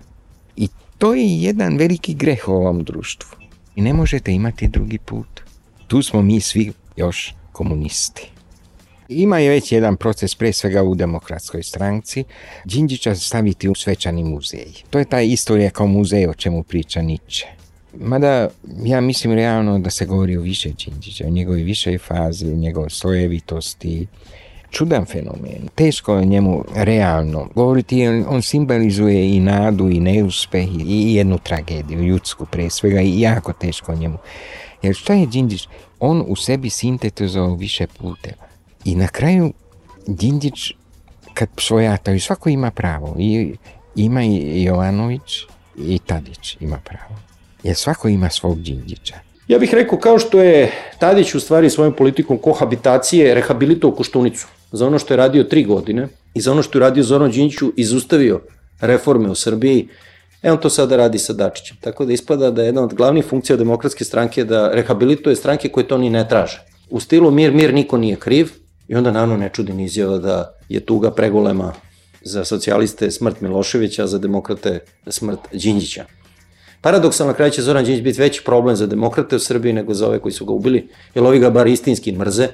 I to je jedan veliki greh u ovom društvu. I ne možete imati drugi put. Tu smo mi svi još komunisti. Ima je već jedan proces, pre svega u Demokratskoj stranci, Đinđića staviti u svečani muzej. To je ta istorija kao muzej o čemu priča Nietzsche. Mada ja mislim realno da se govori o više Đinđića, o njegovoj višoj fazi, o njegovoj slojevitosti. Čudan fenomen. Teško je njemu realno govoriti, on simbolizuje i nadu i neuspeh i jednu tragediju, ljudsku pre svega, i jako teško njemu. Jer šta je Đinđić? On u sebi sintetizovao više puteva. I na kraju Đinđić, kad svojataju, svako ima pravo. I ima i Jovanović i Tadić ima pravo. Jer svako ima svog Đinđića. Ja bih rekao, kao što je Tadić u stvari svojom politikom kohabitacije rehabilitovao Koštunicu za ono što je radio 3 godine i za ono što je radio Zoran Đinđiću, izustavio reforme u Srbiji, on to sada radi sa Dačićem. Tako da ispada da je jedna od glavnih funkcija Demokratske stranke da rehabilituje stranke koje to ni ne traže. U stilu mir, niko nije kriv, i onda naravno ne čudi ni izjava da je tuga pregolema za socijaliste smrt Miloševića, a za demokrate smrt Đinđića. Paradoksalno, na kraju će Zoran Đinđić biti veći problem za demokrate u Srbiji nego za ove koji su ga ubili, jer ovi ga bar istinski mrze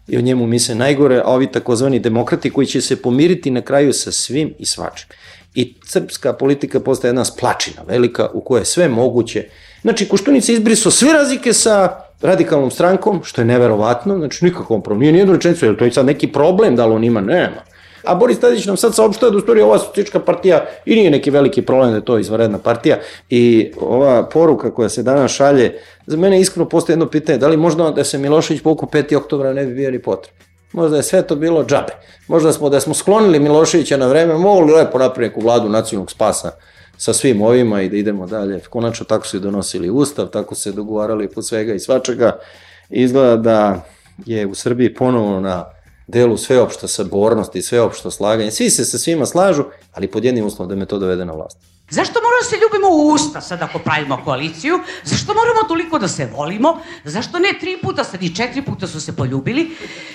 i o njemu misle najgore, a ovi takozvani demokrati koji će se pomiriti na kraju sa svim i svačim. I srpska politika postaje jedna splačina velika u kojoj je sve moguće. Znači, Koštunica izbrisao sve razlike sa radikalnom strankom, što je neverovatno, znači nikakvom problem, nije nijednu rečenicu, je li to je sad neki problem, da li on ima, nema. A Boris Tadić nam sad saopštava da u stvari ova socijalistička partija i nije neki veliki problem da je to izvanredna partija, i ova poruka koja se danas šalje, za mene iskreno postoje jedno pitanje, da li možda da se Milošević povukao 5. oktobra ne bi bio ni potrebno. Možda je sve to bilo džabe. Možda da smo sklonili Miloševića na vreme, mogli lepo napraviti neku vladu nacionalnog spasa sa svim ovima i da idemo dalje. Konačno tako su i donosili ustav, tako se dogovarali po svega i svačega. Izgleda da je u Srbiji ponovo na delu sveopšta sabornost i sveopšto slaganje. Svi se sa svima slažu, ali pod jednim uslovom da me to dovede na vlast. Zašto moramo da se ljubimo u usta sad ako pravimo koaliciju? Zašto moramo toliko da se volimo? Zašto ne 3 puta, sad i 4 puta su se poljubili?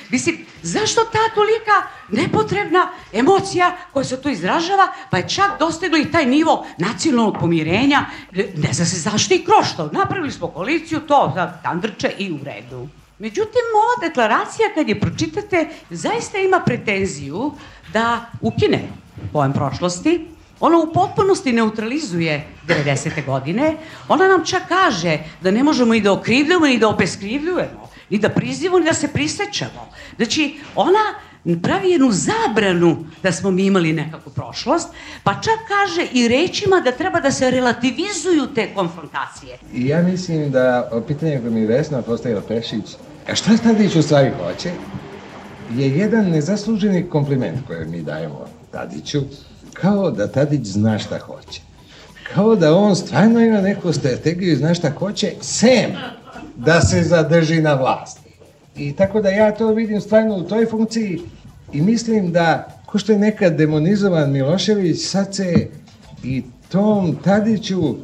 Mislim, zašto ta tolika nepotrebna emocija koja se tu izražava, pa je čak dostigla i taj nivo nacionalnog pomirenja? Ne zna se zašto i krošto. Napravili smo koaliciju, to tandrče i u redu. Međutim, ova deklaracija, kad je pročitate, zaista ima pretenziju da ukine pojam prošlosti. Ona u potpunosti neutralizuje 90. godine. Ona nam čak kaže da ne možemo ni da okrivljujemo, ni da obeskrivljujemo, ni da prizivamo, ni da se prisećamo. Znači, ona pravi jednu zabranu da smo mi imali nekakvu prošlost, pa čak kaže i rečima da treba da se relativizuju te konfrontacije. I ja mislim da pitanje koje mi Vesna postavila Pešić, a šta Tadić u stvari hoće, je jedan nezasluženi kompliment koji mi dajemo Tadiću, kao da Tadić zna šta hoće. Kao da on stvarno ima neku strategiju i zna šta hoće, sem da se zadrži na vlasti. I tako da ja to vidim stvarno u toj funkciji i mislim da, ko što je nekad demonizovan Milošević, sad se i tom Tadiću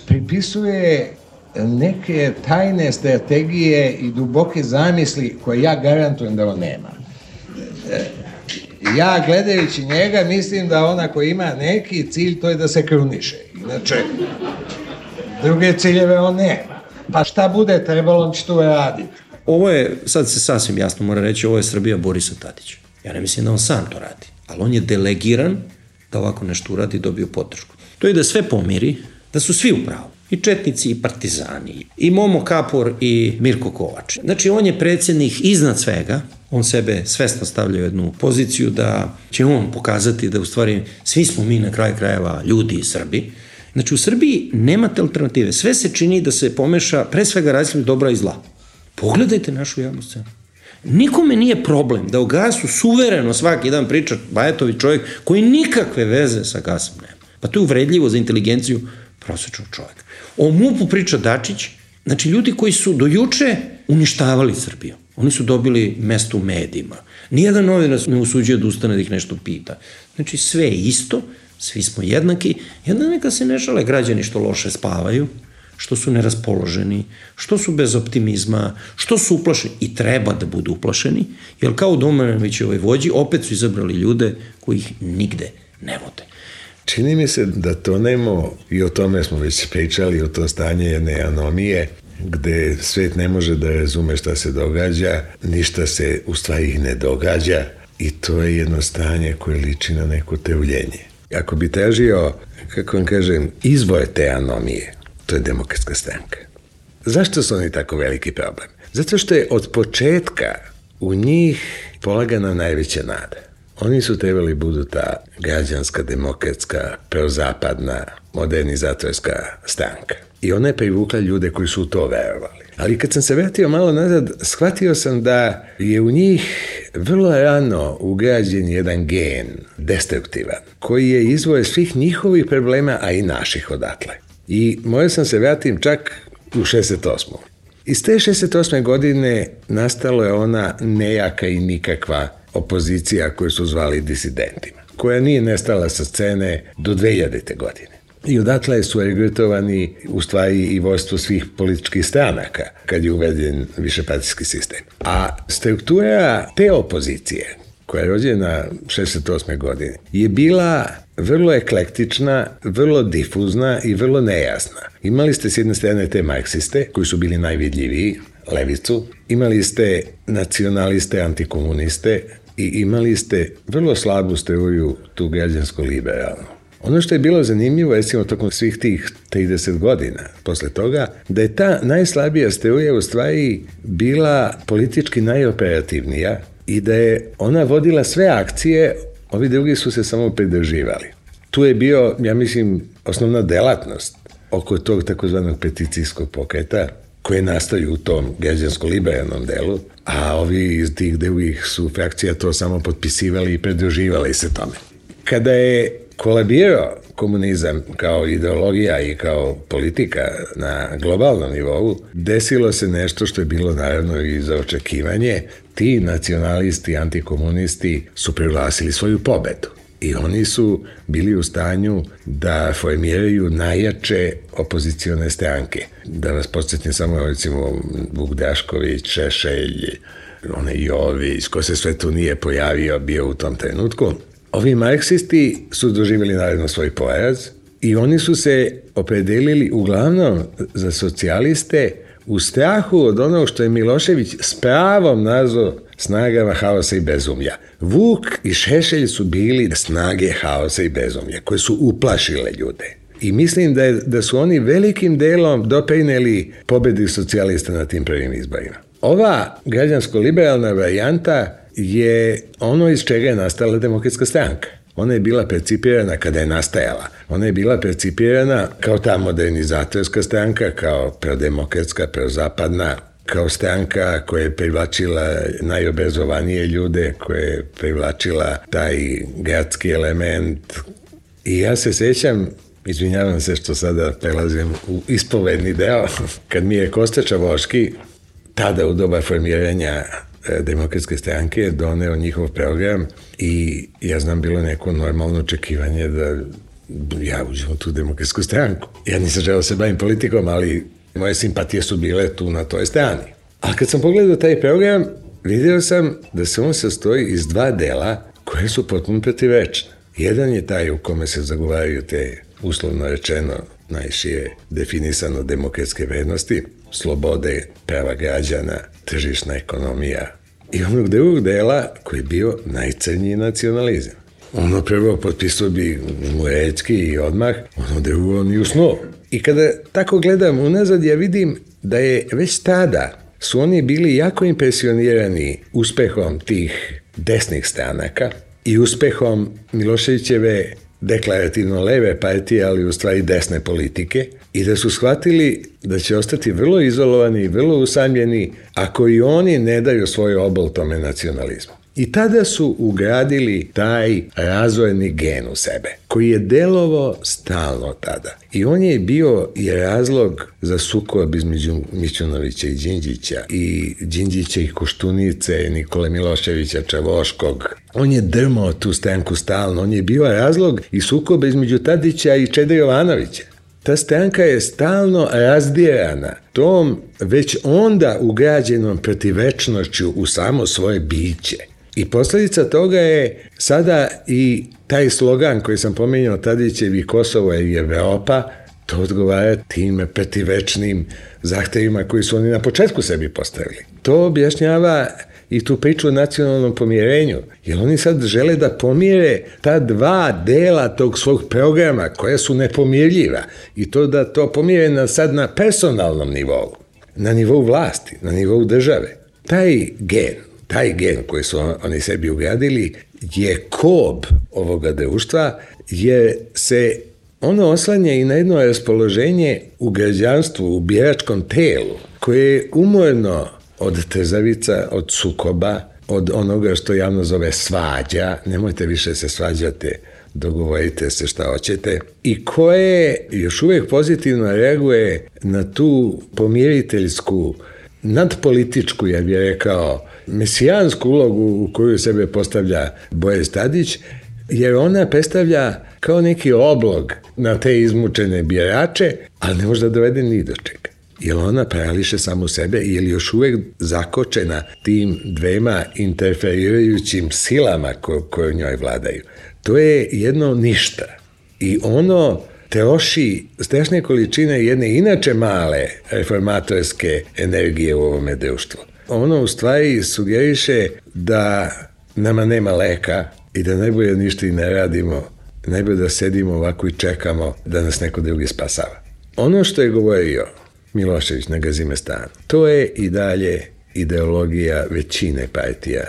pripisuje neke tajne strategije i duboke zamisli koje ja garantujem da on nema. Ja gledajući njega mislim da ona koji ima neki cilj, to je da se kruniše. Inače, druge ciljeve on nema. Pa šta bude trebalo, on će to raditi. Ovo je, sad se sasvim jasno mora reći, ovo je Srbija Borisa Tadića. Ja ne mislim da on sam to radi, ali on je delegiran da ovako nešto uradi i dobio podršku. To je da sve pomiri, da su svi u pravu. I četnici i partizani, i Momo Kapor i Mirko Kovač. Znači, on je predsjednik iznad svega, on sebe svesno stavlja u jednu poziciju da će on pokazati da u stvari svi smo mi na kraju krajeva ljudi i Srbi. Znači, u Srbiji nemate alternative. Sve se čini da se pomeša pre svega različitih dobra i zla. Pogledajte našu javnu scenu. Nikome nije problem da o gasu suvereno svaki dan priča Bajatović, čovjek koji nikakve veze sa gasom nema. Pa to je uvredljivo za inteligenciju prosječnog čovjeka. O MUP-u priča Dačić, znači ljudi koji su do juče uništavali Srbiju. Oni su dobili mesto u medijima. Nijedan novinar ne usuđuje da ustane da ih nešto pita. Znači sve je isto, svi smo jednaki, jedna neka se ne šale građani što loše spavaju, što su neraspoloženi, što su bez optimizma, što su uplašeni i treba da budu uplašeni, jer kao u Domanovićevoj vođi opet su izabrali ljude koji ih nigde ne vode. Čini mi se da tonemo, i o tome smo već pričali, o to stanje jedne anomije, gde svet ne može da razume šta se događa, ništa se u stvari ne događa i to je jedno stanje koje liči na neko teuljenje. Ako bi tražio, kako vam kažem, izvor te anomije, to je Demokratska stranka. Zašto su oni tako veliki problem? Zato što je od početka u njih polagana najveća nada. Oni su trebali budu ta građanska, demokratska, prozapadna, modernizatorska stranka. I ona je privukla ljude koji su u to verovali. Ali kad sam se vratio malo nazad, shvatio sam da je u njih vrlo rano ugrađen jedan gen, destruktivan, koji je izvor svih njihovih problema, a i naših odatle. I morao sam se vratim čak u 68. Iz te 68. godine nastala je ona nejaka i nikakva opozicija koju su zvali disidentima, koja nije nestala sa scene do 2000. godine. I odatle su regrutovani u stvari i vodstvo svih političkih stranaka kad je uveden višepartijski sistem. A struktura te opozicije, koja je rođena 68. godine, je bila vrlo eklektična, vrlo difuzna i vrlo nejasna. Imali ste s jedne strane te marksiste, koji su bili najvidljiviji, levicu, imali ste nacionaliste, antikomuniste i imali ste vrlo slabu struju, tu građansko-liberalnu. Ono što je bilo zanimljivo, recimo tokom svih tih 30 godina posle toga, da je ta najslabija struja u stvari bila politički najoperativnija i da je ona vodila sve akcije, ovi drugi su se samo pridrživali. Tu je bio, ja mislim, osnovna delatnost oko tog takozvanog peticijskog pokreta, koje nastaju u tom građansko-liberalnom delu, a ovi iz tih drugih su frakcija to samo potpisivali i pridruživali se tome. Kada je kolabirao komunizam kao ideologija i kao politika na globalnom nivou, desilo se nešto što je bilo naravno i za očekivanje. Ti nacionalisti, antikomunisti su proglasili svoju pobedu i oni su bili u stanju da formiraju najjače opozicione stranke. Da vas podsjetim samo, recimo, Vuk Drašković, Šešelj, onaj Jović, ko se sve tu nije pojavio, bio u tom trenutku. Ovi marksisti su doživjeli naravno svoj poraz i oni su se opredelili uglavnom za socijaliste u strahu od onog što je Milošević s pravom nazvao snagama haosa i bezumlja. Vuk i Šešelj su bili snage haosa i bezumlja koje su uplašile ljude. I mislim da su oni velikim delom doprineli pobedi socijalista na tim prvim izborima. Ova građansko-liberalna varijanta je ono iz čega je nastala Demokratska stranka. Ona je bila percipirana kada je nastajala. Ona je bila percipirana kao ta modernizatorska stranka, kao prodemokratska, prozapadna, kao stranka koja je privlačila najobrazovanije ljude, koja je privlačila taj gradski element. I ja se sećam, izvinjavam se što sada prelazim u ispovedni deo, kad mi je Kosta Čavoški, tada u doba formiranja Demokratske stranke, doneo njihov program i ja znam bilo neko normalno očekivanje da ja uđem u tu Demokratsku stranku. Ja nisam želeo se bavim politikom, ali moje simpatije su bile tu na toj strani. A kad sam pogledao taj program, vidio sam da se on sastoji iz dva dela koje su potpuno protivrečne. Jedan je taj u kome se zagovaraju te, uslovno rečeno, najšire definisano demokratske vrednosti, slobode, prava građana, tržišna ekonomija. I onog drugog dela koji je bio najcrnji nacionalizam. Ono prvo potpisao bi Murecki i odmah, ono drugo ni u snu. I kada tako gledam unazad, ja vidim da je već tada su oni bili jako impresionirani uspehom tih desnih stranaka i uspehom Miloševićeve deklarativno leve partije, ali u stvari desne politike, i da su shvatili da će ostati vrlo izolovani i vrlo usamljeni ako i oni ne daju svoj obol tome nacionalizmu. I tada su ugradili taj razvojni gen u sebe, koji je delovao stalno tada. I on je bio i razlog za sukob između Mićunovića i Đinđića, i Đinđića i Koštunice, Nikole Miloševića Čavoškog. On je drmao tu stranku stalno, on je bio razlog i sukoba između Tadića i Čede Jovanovića. Ta stranka je stalno razdirana tom već onda ugrađenom protivečnošću u samo svoje biće. I posljedica toga je sada i taj slogan koji sam pominjao Tadićevi Kosovo i Evropa, to odgovara tim protivečnim zahtevima koji su oni na početku sebi postavili. To objašnjava i tu priču o nacionalnom pomirenju, jer oni sad žele da pomire ta dva dela tog svog programa koja su nepomirljiva i to da to pomire sad na personalnom nivou, na nivou vlasti, na nivou države. Taj gen koji su oni sebi ugradili je kob ovoga društva, jer se ono oslanja i na jedno raspoloženje u građanstvu, u biračkom telu, koje je umorno od trzavica, od sukoba, od onoga što javno zove svađa, nemojte više se svađati, dogovorite se šta hoćete, i koje još uvijek pozitivno reaguje na tu pomiriteljsku, nadpolitičku, ja bih rekao, mesijansku ulogu u koju sebe postavlja Boris Tadić, jer ona predstavlja kao neki oblog na te izmučene birače, ali ne može da dovede ni do čega. Jer ona parališe samu sebe i je još uvijek zakočena tim dvema interferirajućim silama koje njoj vladaju. To je jedno ništa. I ono troši strašne količine jedne inače male reformatorske energije u ovome društvu. Ono u stvari sugeriše da nama nema leka i da najbolje ništa i ne radimo, najbolje da sedimo ovako i čekamo da nas neko drugi spasava. Ono što je govorio Milošević na Gazimestanu, to je i dalje ideologija većine partija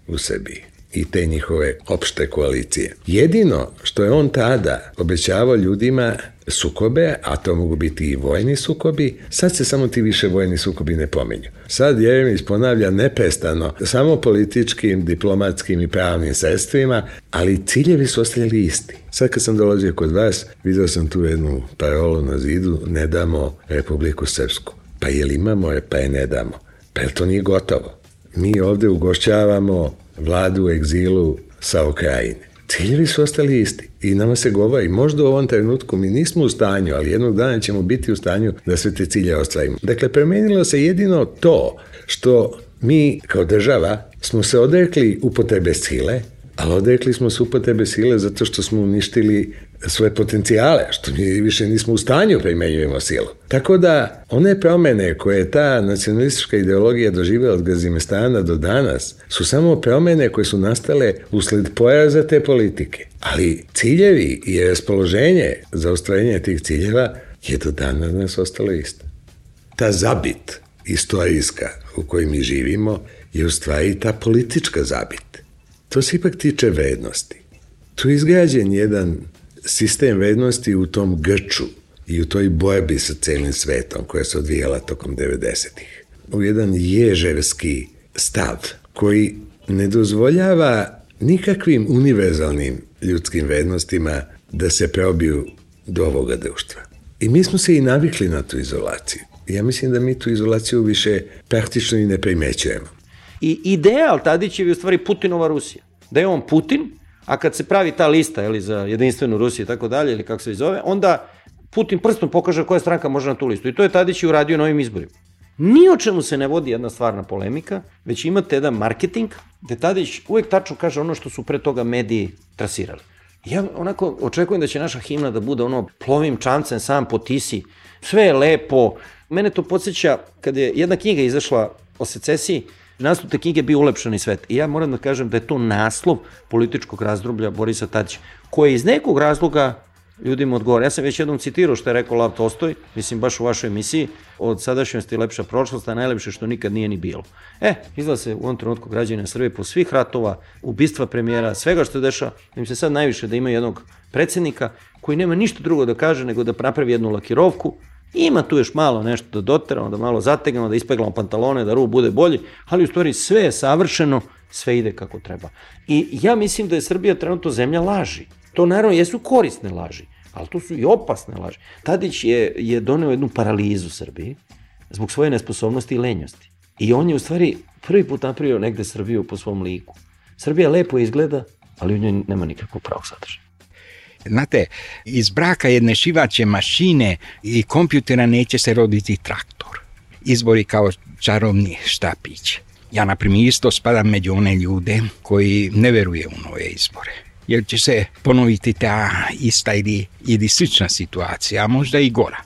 u Srbiji i te njihove opšte koalicije. Jedino što je on tada obećavao ljudima sukobe, a to mogu biti i vojni sukobi, sad se samo ti više vojni sukobi ne pominju. Sad Jeremić ponavlja neprestano, samo političkim, diplomatskim i pravnim sredstvima, ali ciljevi su ostali isti. Sad kad sam dolazio kod vas, vidio sam tu jednu parolu na zidu, ne damo Republiku Srpsku. Pa je li imamo, pa je ne damo. Pa to nije gotovo. Mi ovde ugošćavamo vladu u egzilu sa Ukrajine. Ciljevi su ostali isti i nama se govori, možda u ovom trenutku mi nismo u stanju, ali jednog dana ćemo biti u stanju da sve te cilje ostvarimo. Dakle, promenilo se jedino to što mi kao država smo se odrekli upotrebe sile, ali odrekli smo se upotrebe sile zato što smo uništili svoje potencijale, što mi više nismo u stanju primenjujemo silu. Tako da, one promene koje je ta nacionalistička ideologija doživjela od Gazimestana do danas, su samo promene koje su nastale usled poraza te politike. Ali ciljevi i raspoloženje za ostvarenje tih ciljeva je do dana nas ostalo isto. Ta zabit istorijska u kojoj mi živimo je u stvari ta politička zabit. To se ipak tiče vrednosti. Tu je izgrađen jedan sistem vrednosti u tom grču i u toj borbi sa celim svetom koja se odvijala tokom 90-ih. U jedan ježevski stav koji ne dozvoljava nikakvim univerzalnim ljudskim vrednostima da se probiju do ovoga društva. I mi smo se i navikli na tu izolaciju. Ja mislim da mi tu izolaciju više praktično i ne primećujemo. I ideal Tadićev je u stvari Putinova Rusija. Da je on Putin, a kad se pravi ta lista za jedinstvenu Rusiju i tako dalje, ili kako se zove, onda Putin prstom pokaže koja stranka može na tu listu. I to je Tadić uradio na ovim izborima. Ni o čemu se ne vodi jedna stvarna polemika, već imate jedan marketing, gde Tadić uvek tačno kaže ono što su pre toga mediji trasirali. Ja onako očekujem da će naša himna da bude plovim čamcem sam po Tisi. Sve je lepo. Mene to podsjeća kad je jedna knjiga izašla o secesiji, naslov te knjige bio Ulepšani svet. I ja moram da kažem da je to naslov političkog razdoblja Borisa Tadića, koji iz nekog razloga ljudima odgovara. Ja sam već jednom citirao što je rekao Lav Tolstoj, mislim baš u vašoj emisiji, od sadašnjosti lepša prošlost, a najlepše što nikad nije ni bilo. Izgleda se u ovom trenutku građana Srbije po svih ratova, ubistva premijera, svega što je dešava, im se sad najviše da ima jednog predsjednika koji nema ništa drugo da kaže nego da napravi jednu lakirovku Ima tu još malo nešto da doteramo, da malo zategnemo, da ispeglamo pantalone, da rub bude bolji, ali u stvari sve je savršeno, sve ide kako treba. I ja mislim da je Srbija trenutno zemlja laži. To naravno jesu korisne laži, ali to su i opasne laži. Tadić je doneo jednu paralizu Srbiji zbog svoje nesposobnosti i lenjosti. I on je u stvari prvi put napravio negde Srbiju po svom liku. Srbija lepo izgleda, ali u njoj nema nikakvog pravog sadržaja. Znate, iz braka jedne šivaće mašine i kompjutera neće se roditi traktor. Izbori kao čarobni štapić. Ja, na primjer, isto spadam među one ljude koji ne veruje u nove izbore. Jer će se ponoviti ta ista ili slična situacija, a možda i gora.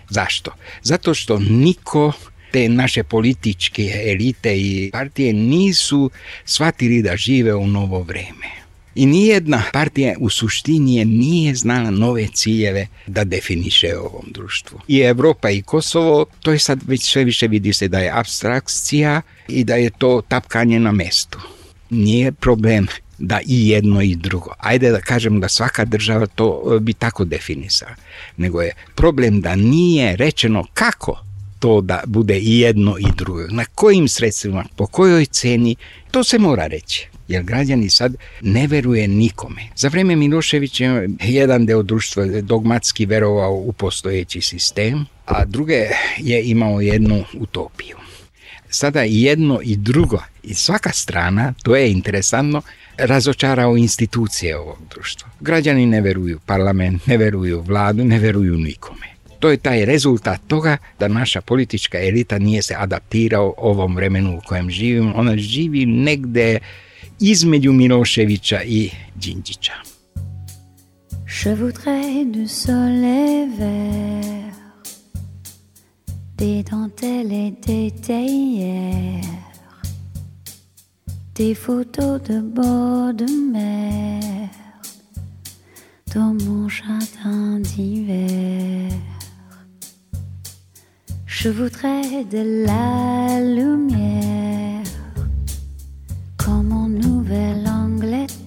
Zašto? Zato što niko te naše političke elite i partije nisu shvatili da žive u novo vreme. I nijedna partija u suštini nije znala nove ciljeve da definiše ovom društvu. I Evropa i Kosovo, to je sad već sve više vidi se da je apstrakcija i da je to tapkanje na mestu. Nije problem da i jedno i drugo. Ajde da kažem da svaka država to bi tako definisala. Nego je problem da nije rečeno kako to da bude i jedno i drugo. Na kojim sredstvima, po kojoj ceni, to se mora reći. Jer građani sad ne veruje nikome. Za vreme Miloševića jedan deo društva dogmatski verovao u postojeći sistem, a druge je imao jednu utopiju. Sada i jedno i drugo, i svaka strana, to je interesantno, razočarao institucije ovog društva. Građani ne veruju parlament, ne veruju vladu, ne veruju nikome. To je taj rezultat toga da naša politička elita nije se adaptirao ovom vremenu u kojem živimo. Ona živi negde između Miloševića i Đinđića. Je voudrais du soleil vert, des dentelles et des théières, des photos de bord de mer, dans mon jardin d'hiver. Je voudrais de la lumière, comme en Nouvelle-Angleterre.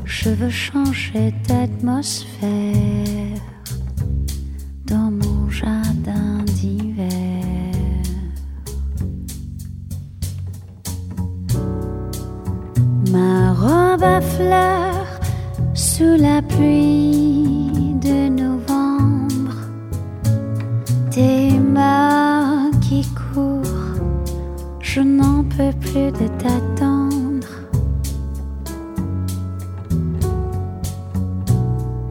Je veux changer d'atmosphère dans mon jardin d'hiver. Ma robe à fleurs sous la pluie de novembre, tes mains qui courent, je n'en peux plus de t'attendre.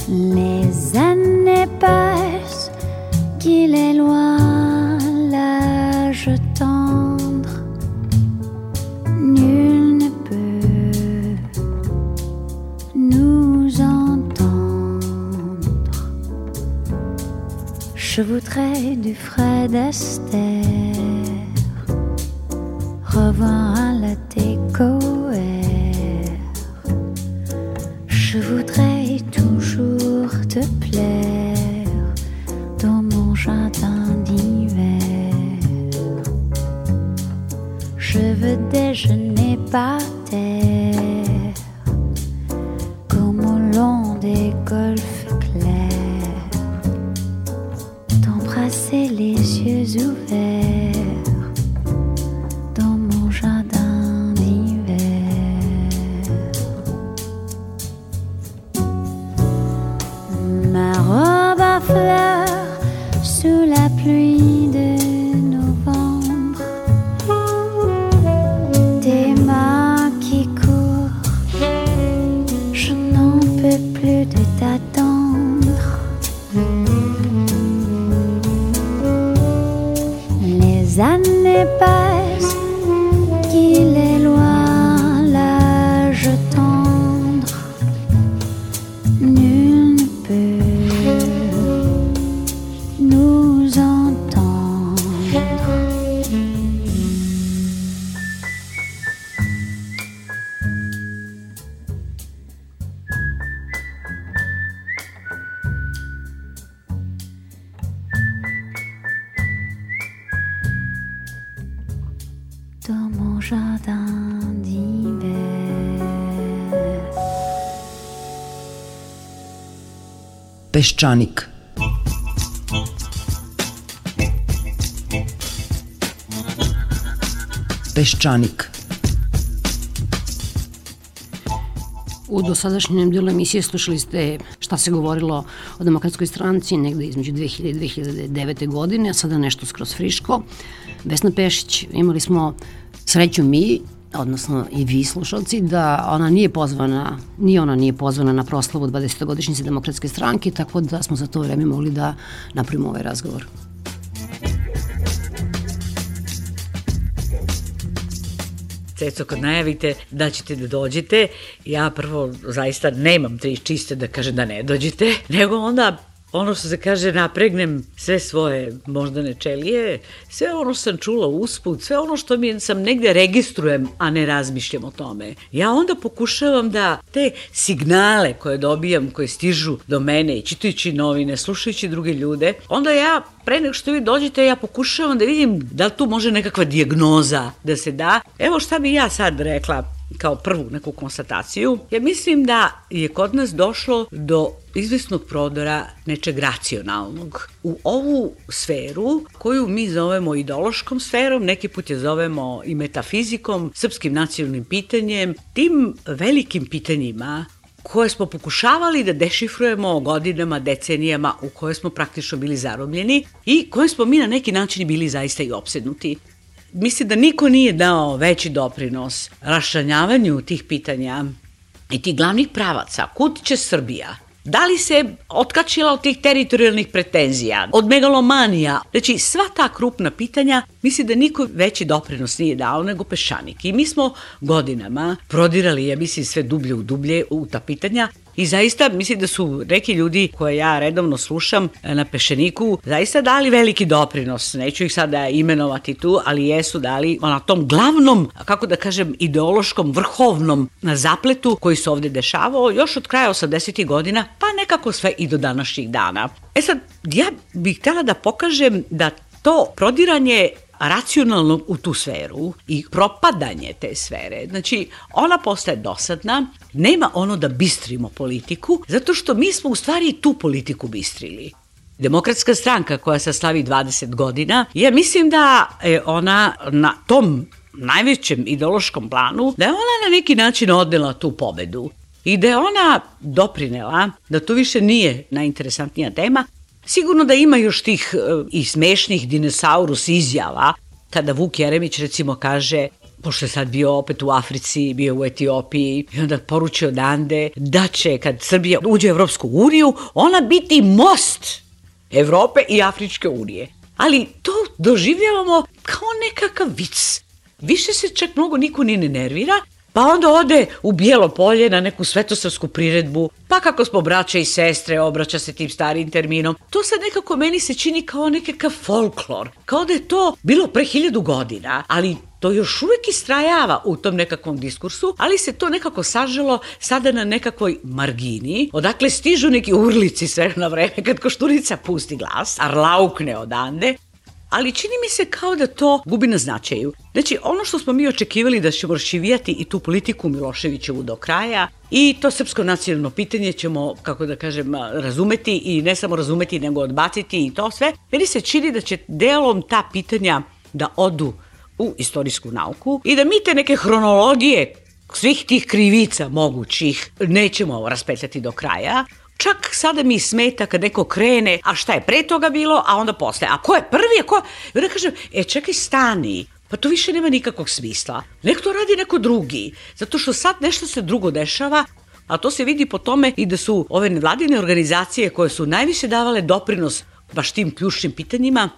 Les années passent, qu'il est loin l'âge tendre. Nul ne peut nous entendre. Je voudrais du Fred Astaire, revoir un latte Coër. Je voudrais toujours te plaire dans mon jardin d'hiver. Je veux déjeuner par terre, comme au long des golfes clairs, t'embrasser les yeux ouverts dans mon jardin d'hiver. Ma robe à fleurs sous la pluie de novembre, tes mains qui courent, je n'en peux plus de t'attendre. Les années passent, qu'il est loin l'âge tendre. Nul ne peut nous entendre. Dans mon jardin d'hiver. Peščanik. Peščanik. U dosadašnjem dijelu emisije slušali ste šta se govorilo o Demokratskoj stranci negde između 2000 i 2009. godine, a sada nešto skroz friško. Vesna Pešić, imali smo sreću mi, odnosno i vi slušalci, da ona nije pozvana na proslavu 20. godišnjice Demokratske stranke, tako da smo za to vreme mogli da napravimo ovaj razgovor. Ceco, kad najavite da ćete da dođete, ja prvo zaista nemam tri čiste da kažem da ne dođete, nego onda ono što se kaže, napregnem sve svoje moždane čelije, sve ono što sam čula usput, sve ono što sam negde registrujem, a ne razmišljam o tome. Ja onda pokušavam da te signale koje dobijam, koje stižu do mene i čitajući novine, slušajući druge ljude, onda ja, pre nego što vi dođete, ja pokušavam da vidim da li tu može nekakva dijagnoza da se da. Evo šta bi ja sad rekla kao prvu neku konstataciju. Ja mislim da je kod nas došlo do izvesnog prodora nečeg racionalnog u ovu sferu koju mi zovemo ideološkom sferom, neki put je zovemo i metafizikom, srpskim nacionalnim pitanjem, tim velikim pitanjima koje smo pokušavali da dešifrujemo godinama, decenijama, u koje smo praktično bili zarobljeni i koje smo mi na neki način bili zaista i opsednuti. Mislim da niko nije dao veći doprinos raščlanjavanju tih pitanja i tih glavnih pravaca. Kud će Srbija? Da li se otkačila od tih teritorijalnih pretenzija, od megalomanija? Znači, sva ta krupna pitanja, mislim da niko veći doprinos nije dao nego Peščanik. I mi smo godinama prodirali, ja mislim, sve dublje u dublje u ta pitanja. I zaista mislim da su neki ljudi koje ja redovno slušam na Peščaniku zaista dali veliki doprinos. Neću ih sada imenovati tu, ali jesu dali na tom glavnom, kako da kažem, ideološkom, vrhovnom zapletu koji se ovde dešavao još od kraja 80. godina, pa nekako sve i do današnjih dana. E sad, ja bih htjela da pokažem da to prodiranje racionalno u tu sferu i propadanje te sfere, znači ona postaje dosadna, nema ono da bistrimo politiku, zato što mi smo u stvari tu politiku bistrili. Demokratska stranka koja se slavi 20 godina, ja mislim da je ona na tom najvećem ideološkom planu, da je ona na neki način odnela tu pobedu i da je ona doprinela da to više nije najinteresantnija tema. Sigurno da ima još tih i smešnih dinosaurus izjava, kada Vuk Jeremić recimo kaže, pošto je sad bio opet u Africi, bio u Etiopiji, i onda poručio odande da će, kad Srbija uđe u Evropsku uniju, ona biti most Evrope i Afričke unije. Ali to doživljavamo kao nekakav vic. Više se čak mnogo niko ni ne nervira, pa onda ode u Bijelo Polje na neku svetosavsku priredbu, pa kako smo braća i sestre, obraća se tim starim terminom. To sad nekako meni se čini kao nekakav folklor, kao da je to bilo pre 1000 godina, ali to još uvek istrajava u tom nekakvom diskursu, ali se to nekako saželo sada na nekakvoj margini, odakle stižu neki urlici sve na vreme kad Koštunica pusti glas, arlaukne odande, ali čini mi se kao da to gubi na značaju. Znači, ono što smo mi očekivali da ćemo raščivijati i tu politiku Miloševićevu do kraja i to srpsko nacionalno pitanje ćemo, kako da kažem, razumeti i ne samo razumeti, nego odbaciti i to sve, meni se čini da će delom ta pitanja da odu u istorijsku nauku i da mi te neke hronologije svih tih krivica mogućih nećemo raspetljati do kraja. Čak sada mi smeta kad neko krene, a šta je pre toga bilo, a onda posle. A ko je prvi, a ko... I onda kažem, čekaj, stani, pa to više nema nikakvog smisla. Nek to radi neko drugi, zato što sad nešto se drugo dešava, a to se vidi po tome i da su ove nevladine organizacije koje su najviše davale doprinos baš tim ključnim pitanjima,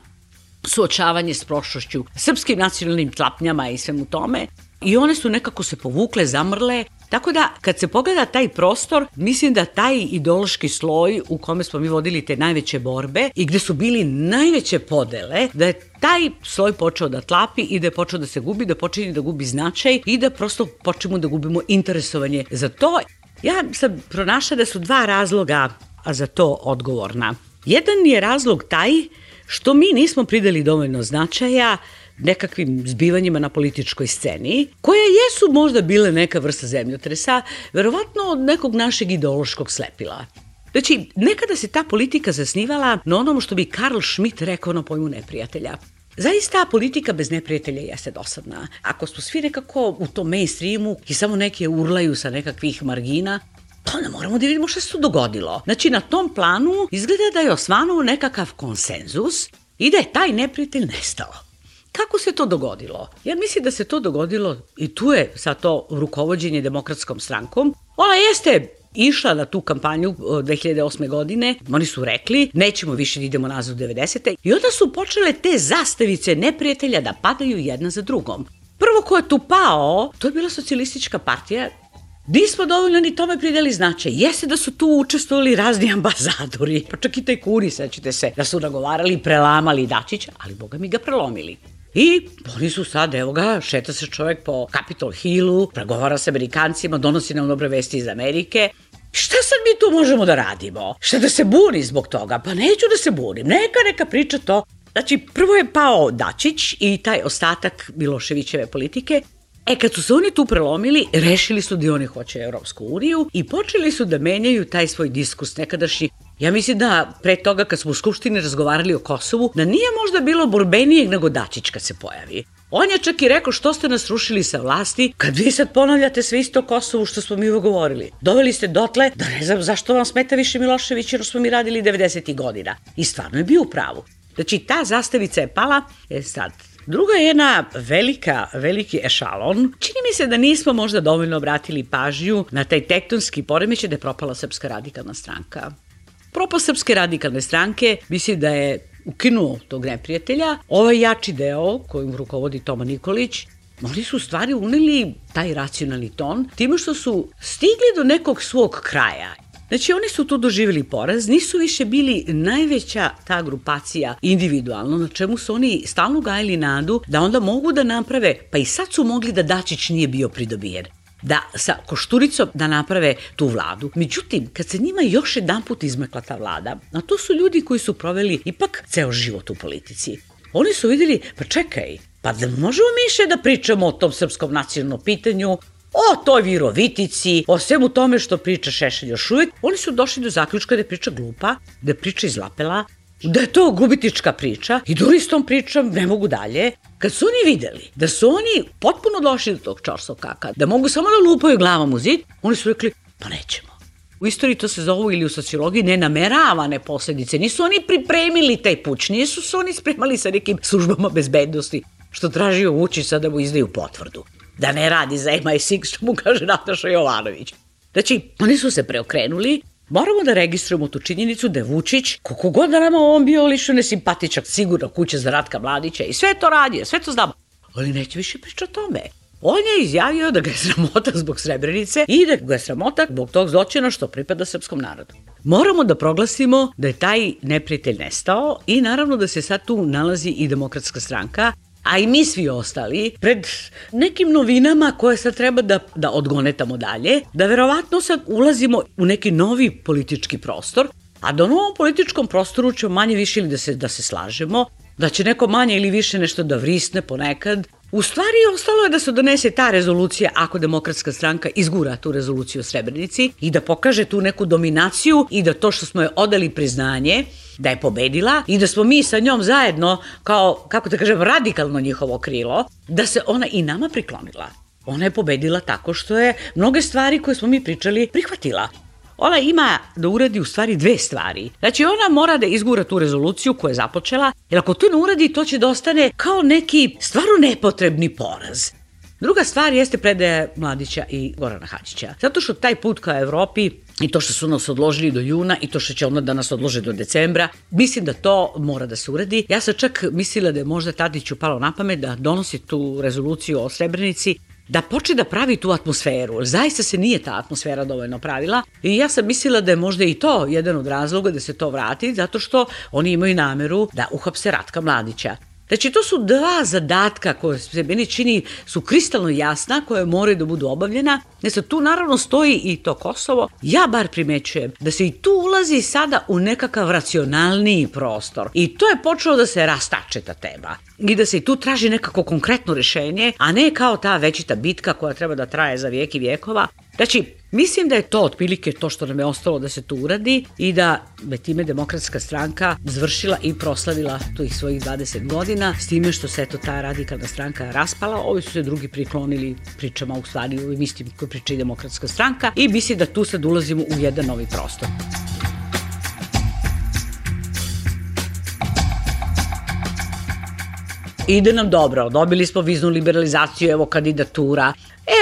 suočavanje s prošlošću, srpskim nacionalnim tlapnjama i svemu tome, i one su nekako se povukle, zamrle, tako da kad se pogleda taj prostor, mislim da taj ideološki sloj u kome smo mi vodili te najveće borbe i gde su bili najveće podele, da je taj sloj počeo da tlapi i da je počeo da se gubi, da počinje da gubi značaj i da prosto počnemo da gubimo interesovanje za to. Ja sam pronašla da su dva razloga za to odgovorna. Jedan je razlog taj što mi nismo pridali dovoljno značaja nekakvim zbivanjima na političkoj sceni, koje jesu možda bile neka vrsta zemljotresa, verovatno od nekog našeg ideološkog slepila. Znači, nekada se ta politika zasnivala na onom što bi Karl Schmitt rekao na pojmu neprijatelja. Zaista politika bez neprijatelja jeste dosadna. Ako smo svi nekako u tom mainstreamu i samo neke urlaju sa nekakvih margina, pa onda moramo da vidimo šta se tu dogodilo. Znači, na tom planu izgleda da je osvanuo nekakav konsenzus i da je taj neprijatelj nestao. Kako se to dogodilo? Ja mislim da se to dogodilo, i tu je sad to rukovođenje Demokratskom strankom. Ona jeste išla na tu kampanju 2008. godine, oni su rekli nećemo više da idemo nazad u 90. I onda su počele te zastavice neprijatelja da padaju jedna za drugom. Prvo ko je tu pao, to je bila Socijalistička partija. Nismo dovoljno ni tome pridali značaj. Jeste da su tu učestvovali razni ambasadori, pa čak i tajkuni, sećate se, da su nagovarali, prelamali Dačića, ali boga mi ga prelomili. I oni su sad, evo ga, šeta se čovjek po Capitol Hillu, pregovara sa Amerikancima, donosi nam dobre vesti iz Amerike. Šta sad mi tu možemo da radimo? Šta da se buni zbog toga? Pa neću da se bunim, neka priča to. Znači, prvo je pao Dačić i taj ostatak Miloševićeve politike. Kad su se oni tu prelomili, rešili su da oni hoće Evropsku uniju i počeli su da menjaju taj svoj diskurs nekadašnji. Ja mislim da pre toga kad smo u Skupštini razgovarali o Kosovu, da nije možda bilo borbenijeg nego Dačić kad se pojavi. On je čak i rekao što ste nas rušili sa vlasti, kad vi sad ponavljate sve isto o Kosovu što smo mi govorili. Doveli ste dotle da ne znam zašto vam smeta više Milošević jer smo mi radili 90. godina. I stvarno je bio u pravu. Znači ta zastavica je pala, sad. Druga je jedna veliki ešalon. Čini mi se da nismo možda dovoljno obratili pažnju na taj tektonski poremećaj da je propala Srpska radikalna stranka. Propast Srpske radikalne stranke mislim da je ukinuo tog neprijatelja. Ovaj jači deo kojim rukovodi Toma Nikolić, oni su u stvari uneli taj racionalni ton time što su stigli do nekog svog kraja. Znači, oni su tu doživjeli poraz, nisu više bili najveća ta grupacija individualno, na čemu su oni stalno gajili nadu da onda mogu da naprave, pa i sad su mogli da Dačić nije bio pridobijen, da sa Košturicom da naprave tu vladu. Međutim, kad se njima još jedanput izmekla ta vlada, a to su ljudi koji su proveli ipak ceo život u politici, oni su vidjeli, pa čekaj, pa da možemo mi više da pričamo o tom srpskom nacionalnom pitanju, o toj Virovitici, o svemu tome što priča Šešelj još uvijek. Oni su došli do zaključka da je priča glupa, da je priča izlapela, da je to gubitnička priča i da oni s tom pričom ne mogu dalje. Kad su oni videli da su oni potpuno došli do tog čorsokaka, da mogu samo da lupaju glavom u zid, oni su rekli, pa nećemo. U istoriji to se zovu ili u sociologiji nenameravane posljedice. Nisu oni pripremili taj puč, nisu se oni spremali sa nekim službama bezbednosti, što tražio Vučić sad da mu izdaju potvrdu. Da ne radi za MI6, što mu kaže Nataša Jovanović. Znači, oni su se preokrenuli. Moramo da registrujemo tu činjenicu da je Vučić, koliko god da nama on bio lično nesimpatičak, sigurno kuća za Ratka Mladića i sve to radio, sve to znamo. Ali neće više pričati o tome. On je izjavio da ga je sramota zbog Srebrenice i da ga je sramota zbog tog zločina što pripada srpskom narodu. Moramo da proglasimo da je taj neprijatelj nestao i naravno da se sad tu nalazi i Demokratska stranka, a i mi svi ostali, pred nekim novinama koje sad treba da odgonetamo dalje, da verovatno sad ulazimo u neki novi politički prostor, a da u novom političkom prostoru ćemo manje više ili da se slažemo, da će neko manje ili više nešto da vrisne ponekad. U stvari ostalo je da se donese ta rezolucija ako Demokratska stranka izgura tu rezoluciju o Srebrenici i da pokaže tu neku dominaciju i da to što smo je odali priznanje, da je pobedila i da smo mi sa njom zajedno kao, kako da kažem, radikalno njihovo krilo, da se ona i nama priklonila. Ona je pobedila tako što je mnoge stvari koje smo mi pričali prihvatila. Ona ima da uradi u stvari dve stvari. Znači, ona mora da izgura tu rezoluciju koju je započela, jer ako to ne uradi, to će da ostane kao neki stvarno nepotrebni poraz. Druga stvar jeste predaja Mladića i Gorana Hadžića. Zato što taj put ka Evropi i to što su nas odložili do juna i to što će onda da nas odlože do decembra, mislim da to mora da se uradi. Ja sam čak mislila da je možda Tadiću palo na pamet da donosi tu rezoluciju o Srebrenici, da počne da pravi tu atmosferu. Zaista se nije ta atmosfera dovoljno pravila i ja sam mislila da je možda i to jedan od razloga da se to vrati, zato što oni imaju nameru da uhapse Ratka Mladića. Znači, to su dva zadatka koje se meni čini su kristalno jasna, koje moraju da budu obavljena. Znači, tu naravno stoji i to Kosovo. Ja bar primećujem da se i tu ulazi sada u nekakav racionalniji prostor. I to je počelo da se rastače ta tema. I da se i tu traži nekako konkretno rešenje, a ne kao ta večita bitka koja treba da traje za vijek i vijekova. Znači, mislim da je to otprilike to što nam je ostalo da se tu uradi i da je time Demokratska stranka završila i proslavila tih svojih 20 godina s time što se ta radikalna stranka raspala, ovi su se drugi priklonili pričama u stvari u ovim istim koje priča i Demokratska stranka i mislim da tu sad ulazimo u jedan novi prostor. Ide nam dobro, dobili smo viznu liberalizaciju, evo kandidatura,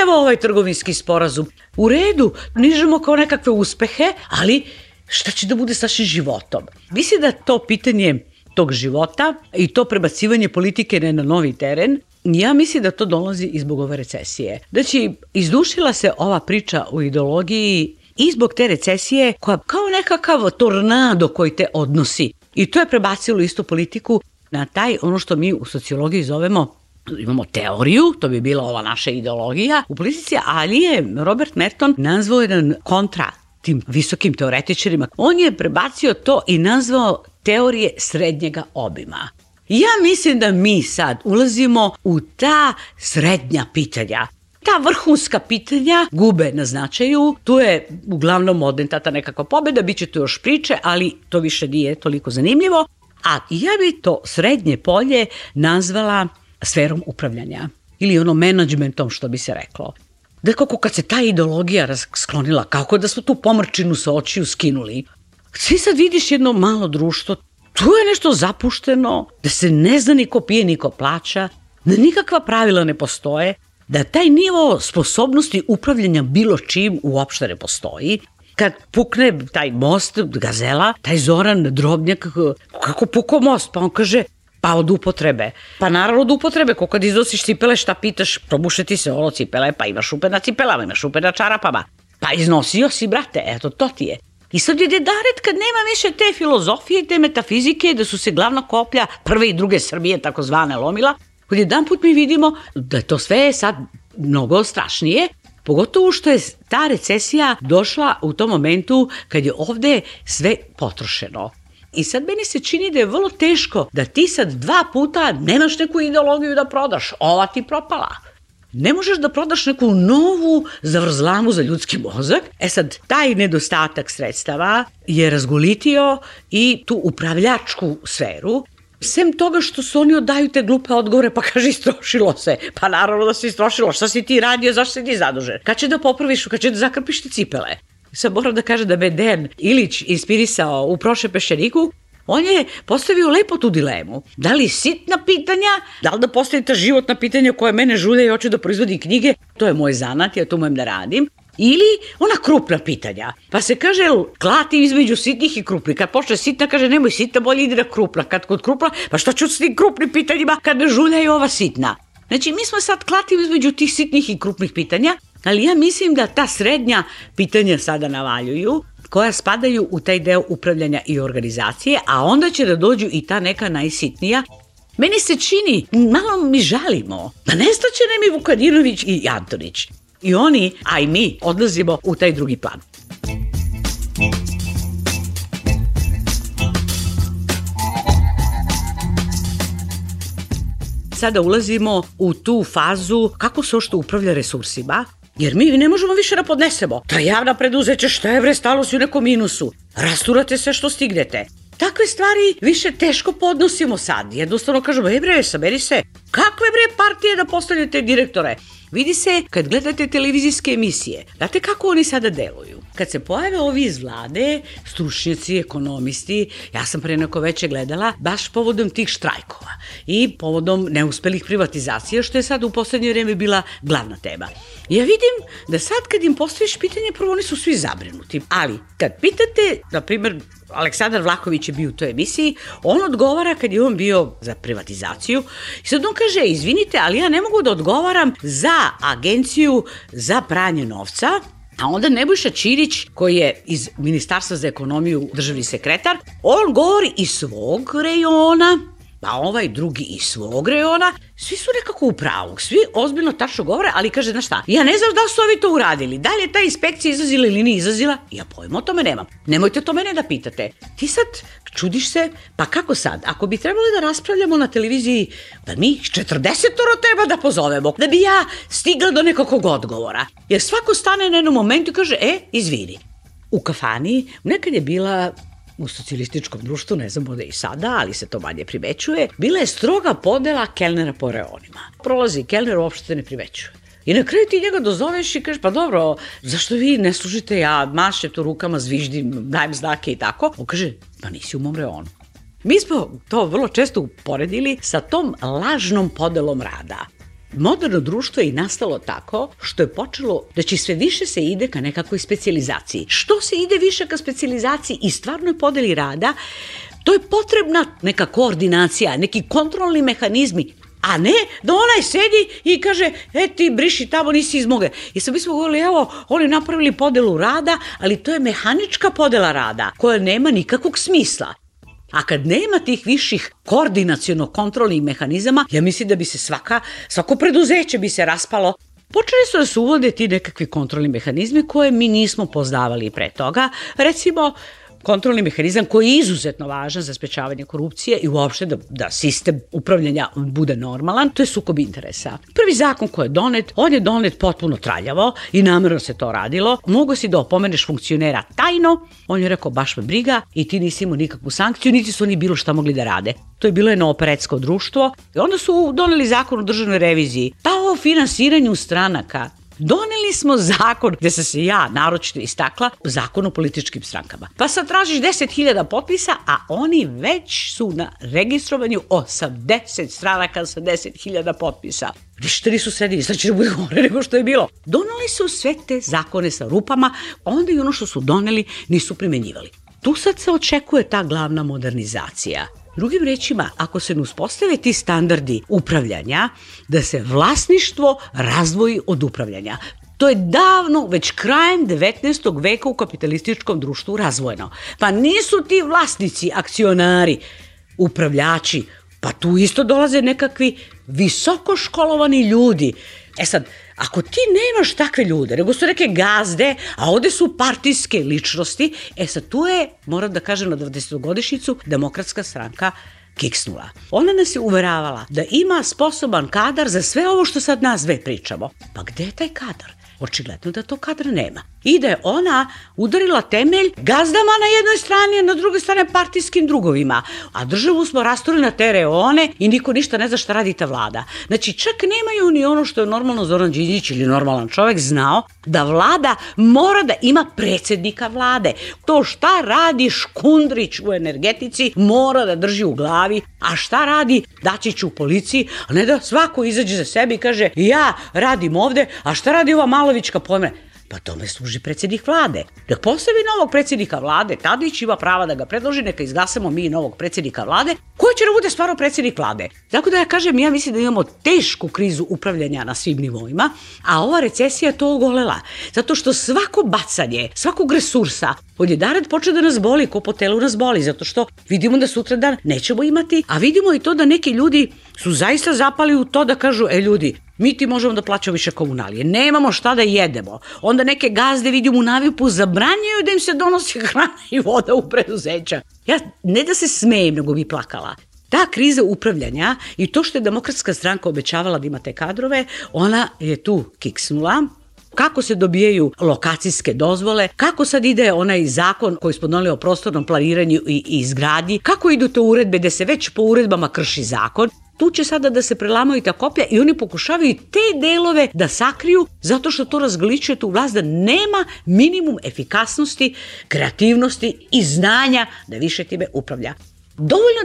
evo ovaj trgovinski sporazum. U redu, nižemo kao nekakve uspehe, ali šta će da bude sa našim životom? Mislim da to pitanje tog života i to prebacivanje politike na novi teren, ja mislim da to dolazi i zbog ove recesije. Znači, izdušila se ova priča o ideologiji i zbog te recesije koja kao nekakav tornado koji te odnosi. I to je prebacilo isto politiku na taj, ono što mi u sociologiji zovemo, imamo teoriju, to bi bila ova naša ideologija u politici, ali je Robert Merton nazvao jedan kontra tim visokim teoretičarima. On je prebacio to i nazvao teorije srednjega obima. Ja mislim da mi sad ulazimo u ta srednja pitanja. Ta vrhunska pitanja gube na značaju, tu je uglavnom odentata nekakva pobeda, bit će tu još priče, ali to više nije toliko zanimljivo. A ja bi to srednje polje nazvala sferom upravljanja ili ono menadžmentom što bi se reklo. Da kako kad se ta ideologija sklonila, kako da smo tu pomrčinu sa očiju skinuli. Svi sad vidiš jedno malo društvo, tu je nešto zapušteno, da se ne zna niko pije, niko plaća, da nikakva pravila ne postoje, da taj nivo sposobnosti upravljanja bilo čim uopšte ne postoji. Kad pukne taj most, Gazela, taj Zoran Drobnjak, kako pukao most, pa on kaže, pa od upotrebe. Pa naravno od upotrebe, ko kad iznosiš cipele, šta pitaš, probuše ti se olo cipele, pa imaš šupe na cipelama, imaš šupe na čarapama. Pa iznosio si, brate, eto, to ti je. I sad je dedaret kad nema više te filozofije, te metafizike, da su se glavna koplja prve i druge Srbije, takozvane, lomila, kad jedan put mi vidimo da to sve je sad mnogo strašnije, pogotovo što je ta recesija došla u tom momentu kad je ovde sve potrošeno. I sad meni se čini da je vrlo teško da ti sad 2 puta nemaš neku ideologiju da prodaš, ova ti propala. Ne možeš da prodaš neku novu zavrzlamu za ljudski mozak. E sad, taj nedostatak sredstava je razgolitio i tu upravljačku sferu. Sem toga što su oni odaju te glupe odgovore, pa kaže istrošilo se. Pa naravno da se istrošilo, šta si ti radio, zašto si ti zadužen? Kad će da popraviš, kad će da zakrpiš ti cipele? Sad moram da kažem da me Dejan Ilić inspirisao u Prošle peščaniku, on je postavio lepo tu dilemu. Da li sitna pitanja, da li da postavite životna pitanja koje mene žulja i hoću da proizvodi knjige, to je moj zanat, ja to umem da radim, ili ona krupna pitanja. Pa se kaže, klati između sitnih i krupnih. Kad počne sitna, kaže, nemoj sitna, bolje ide na krupna. Kad kod krupna, pa šta ću s tim krupnim pitanjima kad me žulja i ova sitna? Znači, mi smo sad klati između tih sitnih i krupnih pitanja, ali ja mislim da ta srednja pitanja sada navaljuju, koja spadaju u taj deo upravljanja i organizacije, a onda će da dođu i ta neka najsitnija. Meni se čini, malo mi žalimo, pa nestaće nam i Vukadinović i Antonić. I oni, a i mi, odlazimo u taj drugi plan. Sada ulazimo u tu fazu kako se ošto upravlja resursima, jer mi ne možemo više da podnesemo. Ta javna preduzeća, šta je bre, stalo si u nekom minusu. Rasturate sve što stignete. Takve stvari više teško podnosimo sad. Jednostavno kažemo, bre, saberi se. Kakve bre partije da postavljate direktore? Vidi se kad gledate televizijske emisije. Znate kako oni sada deluju? Kad se pojave ovi iz vlade, stručnjaci, ekonomisti, ja sam pre neko veće gledala, baš povodom tih štrajkova i povodom neuspelih privatizacija, što je sad u poslednje vreme bila glavna tema. Ja vidim da sad kad im postaviš pitanje, prvo oni su svi zabrinuti. Ali kad pitate, na primjer, Aleksandar Vlahović je bio u toj emisiji, on odgovara kad je on bio za privatizaciju i sad on kaže, izvinite, ali ja ne mogu da odgovaram za agenciju za pranje novca, a onda Nebojša Ćirić, koji je iz Ministarstva za ekonomiju državni sekretar, on govori iz svog rejona pa ovaj drugi iz svog reona, svi su nekako u pravu, svi ozbiljno tačno govore, ali kaže, znaš šta, ja ne znam da su ovi to uradili, da li je ta inspekcija izlazila ili nije izlazila, ja pojma o tome nemam. Nemojte to mene da pitate. Ti sad čudiš se, pa kako sad, ako bi trebali da raspravljamo na televiziji, da mi 40 treba da pozovemo, da bi ja stigla do nekakvog odgovora, jer svako stane na jednom momentu i kaže, izvini. U kafani, nekad je bila u socijalističkom društvu, ne znam da i sada, ali se to manje primećuje, bila je stroga podela kelnera po reonima. Prolazi kelner, uopšte ne primećuje. I na kraju ti njega dozoveš i kažeš, pa dobro, zašto vi ne služite, ja mašem to rukama, zviždim, dajem znake i tako. On kaže, pa nisi u mom reonu. Mi smo to vrlo često uporedili sa tom lažnom podelom rada. Moderno društvo je i nastalo tako što je počelo da će sve više se ide ka nekakvoj specijalizaciji. Što se ide više ka specijalizaciji i stvarnoj podeli rada, to je potrebna neka koordinacija, neki kontrolni mehanizmi, a ne da onaj sedi i kaže, ti briši tamo, nisi iz moge. I sad mi smo govorili, evo, oni napravili podelu rada, ali to je mehanička podela rada koja nema nikakvog smisla. A kad nema tih viših koordinaciono-kontrolnih mehanizama, ja mislim da bi se svako preduzeće bi se raspalo. Počeli su da se uvode ti nekakvi kontrolni mehanizmi koje mi nismo poznavali pre toga. Recimo, kontrolni mehanizam koji je izuzetno važan za sprečavanje korupcije i uopšte da sistem upravljanja bude normalan, to je sukob interesa. Prvi zakon koji je donet, on je donet potpuno traljavo i namerno se to radilo. Mogu si da opomeneš funkcionera tajno, on je rekao baš me briga i ti nisi imao nikakvu sankciju, niti su oni bilo šta mogli da rade. To je bilo jedno operetsko društvo i onda su doneli zakon o državnoj reviziji, pa o finansiranju stranaka. Doneli smo zakon, gde sam se ja naročito istakla, zakon o političkim strankama. Pa sad tražiš 10.000 potpisa, a oni već su na registrovanju 80 stranaka sa 10.000 potpisa. Ništa nisu sredili, sad će da bude gore nego što je bilo. Doneli su sve te zakone sa rupama, onda i ono što su doneli nisu primenjivali. Tu sad se očekuje ta glavna modernizacija. Drugim rečima, ako se ne uspostave ti standardi upravljanja, da se vlasništvo razdvoji od upravljanja. To je davno, već krajem 19. veka u kapitalističkom društvu razvojeno. Pa nisu ti vlasnici, akcionari, upravljači, pa tu isto dolaze nekakvi visoko školovani ljudi. Sad, ako ti nemaš takve ljude, nego su neke gazde, a ovde su partijske ličnosti, sad tu je, moram da kažem na 20-godišnjicu, Demokratska stranka kiksnula. Ona nas je uveravala da ima sposoban kadar za sve ovo što sad nas dve pričamo. Pa gde je taj kadar? Očigledno da to kadra nema. I da je ona udarila temelj gazdama na jednoj strani, a na drugoj strani partijskim drugovima. A državu smo rasturili na te reone i niko ništa ne zna šta radi ta vlada. Znači, čak nemaju ni ono što je normalno Zoran Đinđić ili normalan čovek znao, da vlada mora da ima predsednika vlade. To šta radi Škundrić u energetici mora da drži u glavi, a šta radi Dačić u policiji, a ne da svako izađe za sebe i kaže ja radim ovde, a šta radi ova Malovićka pojme? Pa tome služi predsjednik vlade. Nek postavi novog predsjednika vlade, Tadić ima prava da ga predloži, neka izglasamo mi novog predsjednika vlade, koji će da bude stvarno predsjednik vlade. Tako da ja kažem, ja mislim da imamo tešku krizu upravljanja na svim nivoima, a ova recesija je to ogolela. Zato što svako bacanje, svakog resursa, odjedared počne da nas boli, ko po telu nas boli, zato što vidimo da sutradan nećemo imati, a vidimo i to da neki ljudi su zaista zapali u to da kažu, ljudi, mi ti možemo da plaćamo više komunalije, nemamo šta da jedemo. Onda neke gazde vidimo u navipu, zabranjuju da im se donosi hrana i voda u preduzeća. Ja ne da se smejem, nego bi plakala. Ta kriza upravljanja i to što je Demokratska stranka obećavala da ima te kadrove, ona je tu kiksnula. Kako se dobijaju lokacijske dozvole, kako sad ide onaj zakon koji smo doneli o prostornom planiranju i izgradnji, kako idu te uredbe gde se već po uredbama krši zakon. Tu će sada da se prelamaju ta koplja i oni pokušavaju te delove da sakriju zato što to razgličuje tu vlast da nema minimum efikasnosti, kreativnosti i znanja da više time upravlja. Dovoljno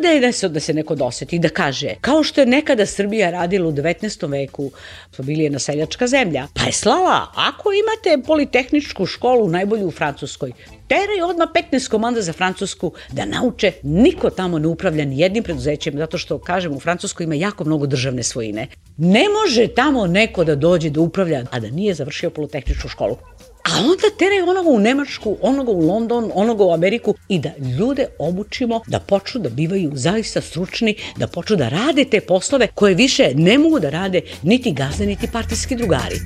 da se neko doseti i da kaže, kao što je nekada Srbija radila u 19. veku, smo bili jedna seljačka zemlja, pa je slala, ako imate politehničku školu najbolju u Francuskoj, teraj odmah 15 komanda za Francusku da nauče, niko tamo ne upravlja ni jednim preduzećem, zato što, kažem, u Francuskoj ima jako mnogo državne svojine. Ne može tamo neko da dođe da upravlja, a da nije završio politehničku školu. A onda teraj onoga u Nemačku, onoga u London, onoga u Ameriku i da ljude obučimo da počnu da bivaju zaista stručni, da počnu da rade te poslove koje više ne mogu da rade niti gazde, niti partijski drugari.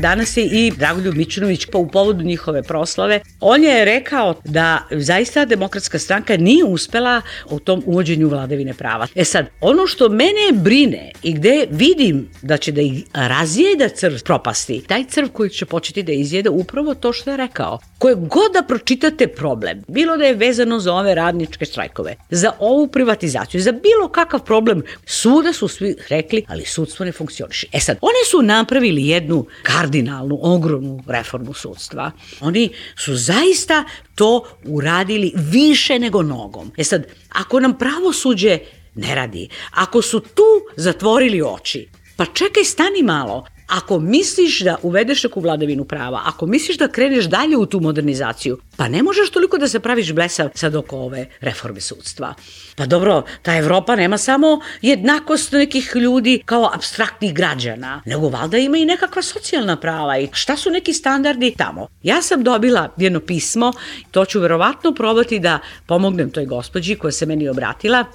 Danas je i Dragoljub Mićunović u povodu njihove proslave. On je rekao da zaista Demokratska stranka nije uspela u tom uvođenju vladavine prava. Sad, ono što mene brine i gde vidim da će da ih razjeda crv propasti, taj crv koji će početi da izjeda upravo to što je rekao. Koje god da pročitate problem, bilo da je vezano za ove radničke štrajkove, za ovu privatizaciju, za bilo kakav problem, suda su svi rekli, ali sudstvo ne funkcioniše. Sad, oni su napravili jednu kardinalnu, ogromnu reformu sudstva. Oni su zaista to uradili više nego nogom. Sad, ako nam pravosuđe ne radi, ako su tu zatvorili oči, pa čekaj, stani malo. Ako misliš da uvedeš neku vladavinu prava, ako misliš da kreneš dalje u tu modernizaciju, pa ne možeš toliko da se praviš blesav sad oko ove reforme sudstva. Pa dobro, ta Evropa nema samo jednakost nekih ljudi kao apstraktnih građana, nego valjda ima i nekakva socijalna prava i šta su neki standardi tamo. Ja sam dobila jedno pismo, to ću verovatno probati da pomognem toj gospođi koja se meni obratila.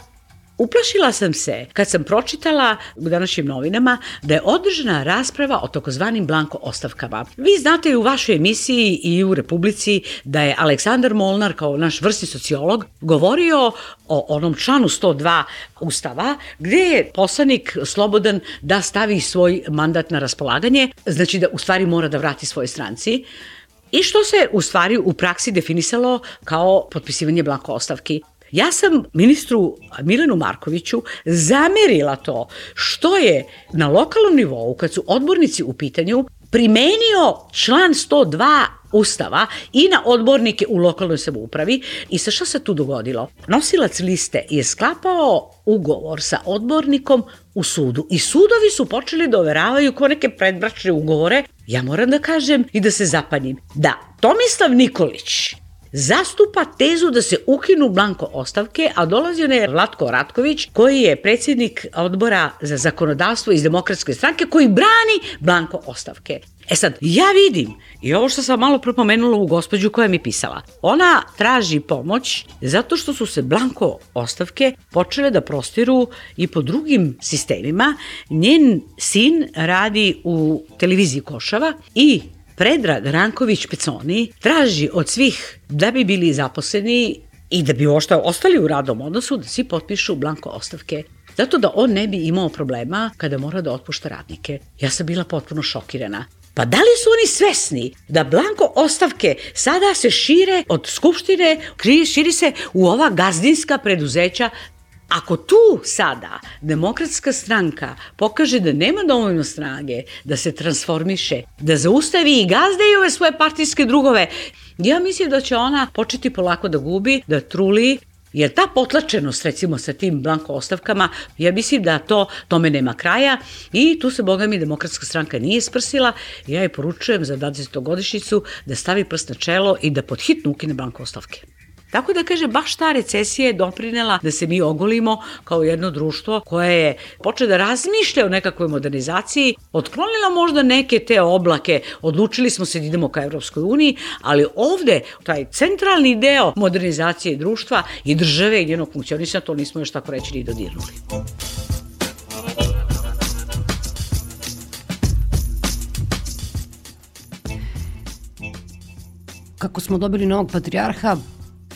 Uplašila sam se kad sam pročitala u današnjim novinama da je održana rasprava o takozvanim blanko ostavkama. Vi znate i u vašoj emisiji i u Republici da je Aleksandar Molnar kao naš vrsni sociolog govorio o onom članu 102 Ustava gde je poslanik slobodan da stavi svoj mandat na raspolaganje, znači da u stvari mora da vrati svojoj stranci. I što se u stvari u praksi definisalo kao potpisivanje blanko ostavki. Ja sam ministru Milanu Markoviću zamerila to što je na lokalnom nivou, kad su odbornici u pitanju, primenio član 102 Ustava i na odbornike u lokalnoj samoupravi. I sa šta se tu dogodilo? Nosilac liste je sklapao ugovor sa odbornikom u sudu i sudovi su počeli da overavaju ko neke predbračne ugovore. Ja moram da kažem i da se zapanjim da Tomislav Nikolić zastupa tezu da se ukinu blanko ostavke, a dolazio je Vlatko Ratković, koji je predsjednik odbora za zakonodavstvo iz Demokratske stranke, koji brani blanko ostavke. Sad, ja vidim, i ovo što sam malo propomenula u gospođu koja mi pisala, ona traži pomoć zato što su se blanko ostavke počele da prostiru i po drugim sistemima. Njen sin radi u televiziji Košava i Predrag Ranković Peconi traži od svih da bi bili zaposleni i da bi ostali u radnom odnosu da svi potpišu blanko ostavke. Zato da on ne bi imao problema kada mora da otpušta radnike. Ja sam bila potpuno šokirana. Pa da li su oni svesni da blanko ostavke sada se šire od Skupštine, širi se u ova gazdinska preduzeća? Ako tu sada Demokratska stranka pokaže da nema dovoljno snage da se transformiše, da zaustavi i gazde i ove svoje partijske drugove, ja mislim da će ona početi polako da gubi, da truli, jer ta potlačenost recimo sa tim blanko ostavkama, ja mislim da tome nema kraja i tu se boga mi Demokratska stranka nije sprsila. Ja je poručujem za 20. da stavi prst na čelo i da pod hitno ukine blanko ostavke. Tako da kaže, baš ta recesija je doprinela da se mi ogolimo kao jedno društvo koje je počelo da razmišlja o nekakvoj modernizaciji, otklonila možda neke te oblake, odlučili smo se da idemo ka Evropskoj uniji, ali ovde taj centralni deo modernizacije društva i države i njenog funkcionisanja, to nismo još tako reći ni dodirnuli. Kako smo dobili novog patrijarha,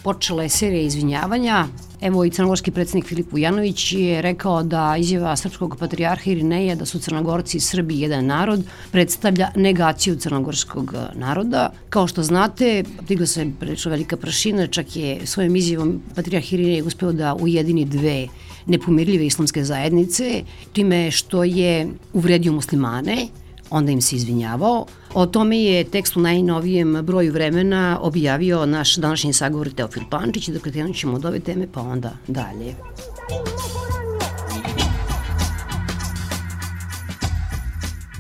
počela je serija izvinjavanja. Evo i crnogorski predsjednik Filip Vujanović je rekao da izjava srpskog patrijarha Irineja da su Crnogorci i Srbi jedan narod predstavlja negaciju crnogorskog naroda. Kao što znate, digla se prilično velika prašina, čak je svojom izjavom patrijarh Irinej uspeo da ujedini dve nepomirljive islamske zajednice, time što je uvredio muslimane, onda im se izvinjavao. O tome je tekst u najnovijem broju Vremena objavio naš današnji sagovor Teofil Pančić. Dakle, krenut ćemo od ove teme, pa onda dalje.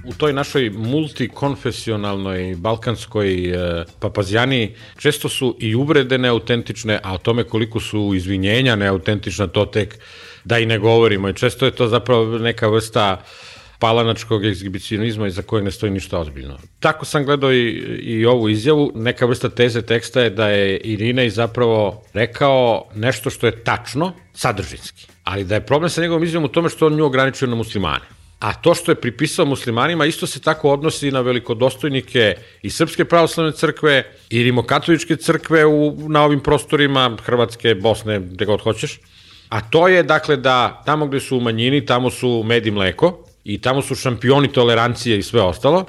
U toj našoj multikonfesionalnoj balkanskoj papazjaniji često su i uvrede neautentične, a o tome koliko su izvinjenja neautentična, to tek da i ne govorimo. I često je to zapravo neka vrsta palanačkog egzibicionizma iza kojeg ne stoji ništa ozbiljno. Tako sam gledao i ovu izjavu. Neka vrsta teze teksta je da je Irinej zapravo rekao nešto što je tačno, sadržinski. Ali da je problem sa njegovom izjavom u tome što on nju ograničio na muslimane. A to što je pripisao muslimanima isto se tako odnosi na velikodostojnike i Srpske pravoslavne crkve i rimokatoličke crkve na ovim prostorima Hrvatske, Bosne, gde god hoćeš. A to je dakle da tamo gde su u manjini, tamo su med i mleko i tamo su šampioni tolerancije i sve ostalo,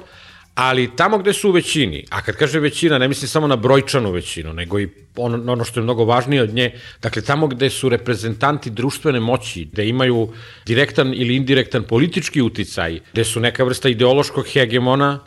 ali tamo gde su u većini, a kad kaže većina, ne mislim samo na brojčanu većinu, nego i ono što je mnogo važnije od nje, dakle tamo gde su reprezentanti društvene moći, gde imaju direktan ili indirektan politički uticaj, gde su neka vrsta ideološkog hegemona,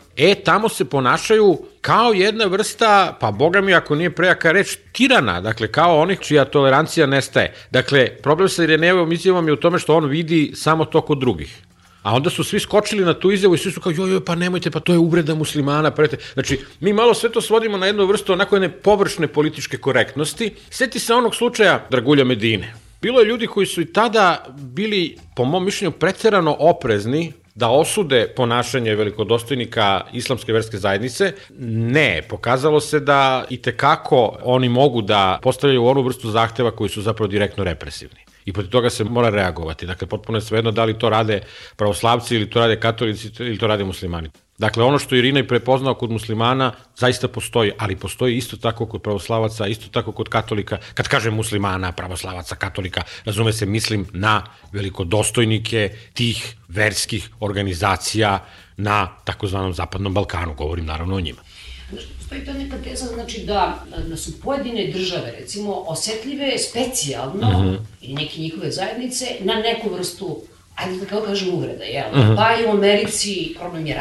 tamo se ponašaju kao jedna vrsta, pa boga mi ako nije prejaka reč, tirana, dakle kao onih čija tolerancija nestaje. Dakle, problem sa Irinejevom izjavom je u tome što on vidi samo to kod drugih. A onda su svi skočili na tu izjavu i svi su kao, joj, pa nemojte, pa to je uvreda muslimana. Znači, mi malo sve to svodimo na jednu vrstu onako jedne površne političke korektnosti. Sjeti se onog slučaja Dragulja Medine. Bilo je ljudi koji su i tada bili, po mom mišljenju, preterano oprezni da osude ponašanje velikodostojnika islamske verske zajednice. Ne, pokazalo se da itekako oni mogu da postavljaju onu vrstu zahteva koji su zapravo direktno represivni. I protiv toga se mora reagovati. Dakle, potpuno je svejedno da li to rade pravoslavci ili to rade katolici ili to rade muslimani. Dakle, ono što Irinej prepoznao kod muslimana zaista postoji, ali postoji isto tako kod pravoslavaca, isto tako kod katolika. Kad kažem muslimana, pravoslavaca, katolika, razume se, mislim na velikodostojnike tih verskih organizacija na takozvanom Zapadnom Balkanu. Govorim naravno o njima. Postoji ta neka teza, znači da su pojedine države, recimo, osetljive specijalno i neke njihove zajednice na neku vrstu, ajde da kao kažem, uvreda, jel? Pa i u Americi problem je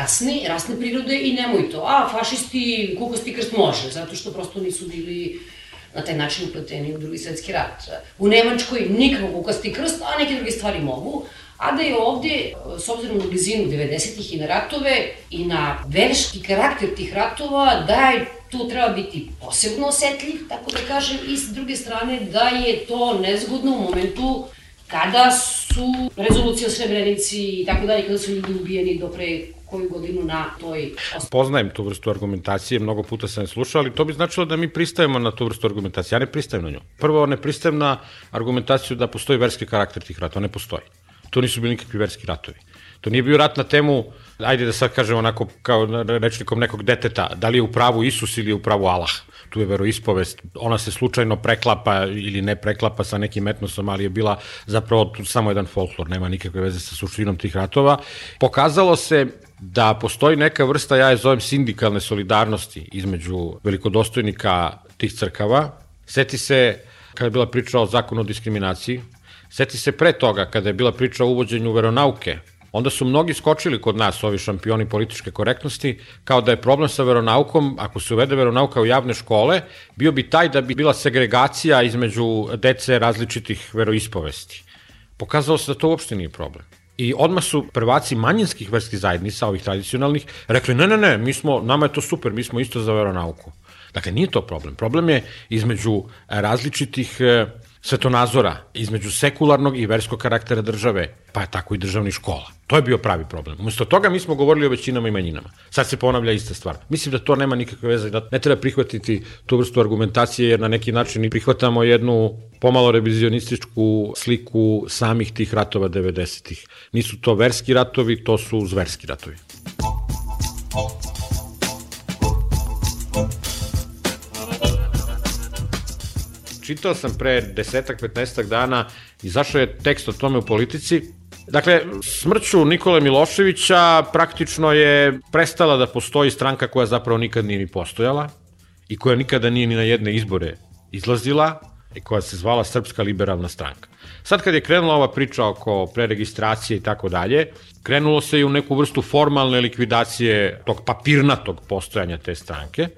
rasne prirode i nemoj to, fašisti, kukosti krst može, zato što prosto nisu bili na taj način upleteni u Drugi svetski rat. U Nemačkoj nikako kukasti krst, a neke druge stvari mogu. A da je ovde, s obzirom na blizinu 90-ih i na ratove i na verski karakter tih ratova, da je tu treba biti posebno osetljiv, tako da kažem, i s druge strane da je to nezgodno u momentu kada su rezolucije o Srebrenici i tako dalje, kada su ljudi ubijeni do pre koju godinu na toj... Poznajem tu vrstu argumentacije, mnogo puta sam je slušao, ali to bi značilo da mi pristajemo na tu vrstu argumentacije. Ja ne pristajem na nju. Prvo, ne pristajem na argumentaciju da postoji verski karakter tih ratova. Ne postoji. To nisu bili nikakvi verski ratovi. To nije bio rat na temu, ajde da sad kažem onako kao rečnikom nekog deteta, da li je u pravu Isus ili je u pravu Allah. Tu je veroispovest, ona se slučajno preklapa ili ne preklapa sa nekim etnosom, ali je bila zapravo samo jedan folklor, nema nikakve veze sa suštinom tih ratova. Pokazalo se da postoji neka vrsta, ja je zovem sindikalne solidarnosti između velikodostojnika tih crkava. Seti se kada je bila priča o zakonu o diskriminaciji, seti se pre toga kada je bila priča o uvođenju veronauke, onda su mnogi skočili kod nas, ovi šampioni političke korektnosti, kao da je problem sa veronaukom, ako se uvede veronauka u javne škole, bio bi taj da bi bila segregacija između dece različitih veroispovesti. Pokazalo se da to uopšte nije problem. I odmah su prvaci manjinskih verskih zajednica, ovih tradicionalnih, rekli ne, nama je to super, mi smo isto za veronauku. Dakle, nije to problem. Problem je između različitih svetonazora, između sekularnog i verskog karaktera države, pa je tako i državnih škola. To je bio pravi problem. Umesto toga mi smo govorili o većinama i manjinama. Sad se ponavlja ista stvar. Mislim da to nema nikakve veze, da ne treba prihvatiti tu vrstu argumentacije, jer na neki način prihvatamo jednu pomalo revizionističku sliku samih tih ratova 90-ih. Nisu to verski ratovi, to su zverski ratovi. Čitao sam pre 10-15 dana, izašao je tekst o tome u Politici. Dakle, smrću Nikole Miloševića praktično je prestala da postoji stranka koja zapravo nikad nije ni postojala i koja nikada nije ni na jedne izbore izlazila i koja se zvala Srpska liberalna stranka. Sad kad je krenula ova priča oko preregistracije i tako dalje, krenulo se i u neku vrstu formalne likvidacije tog papirnatog postojanja te stranke,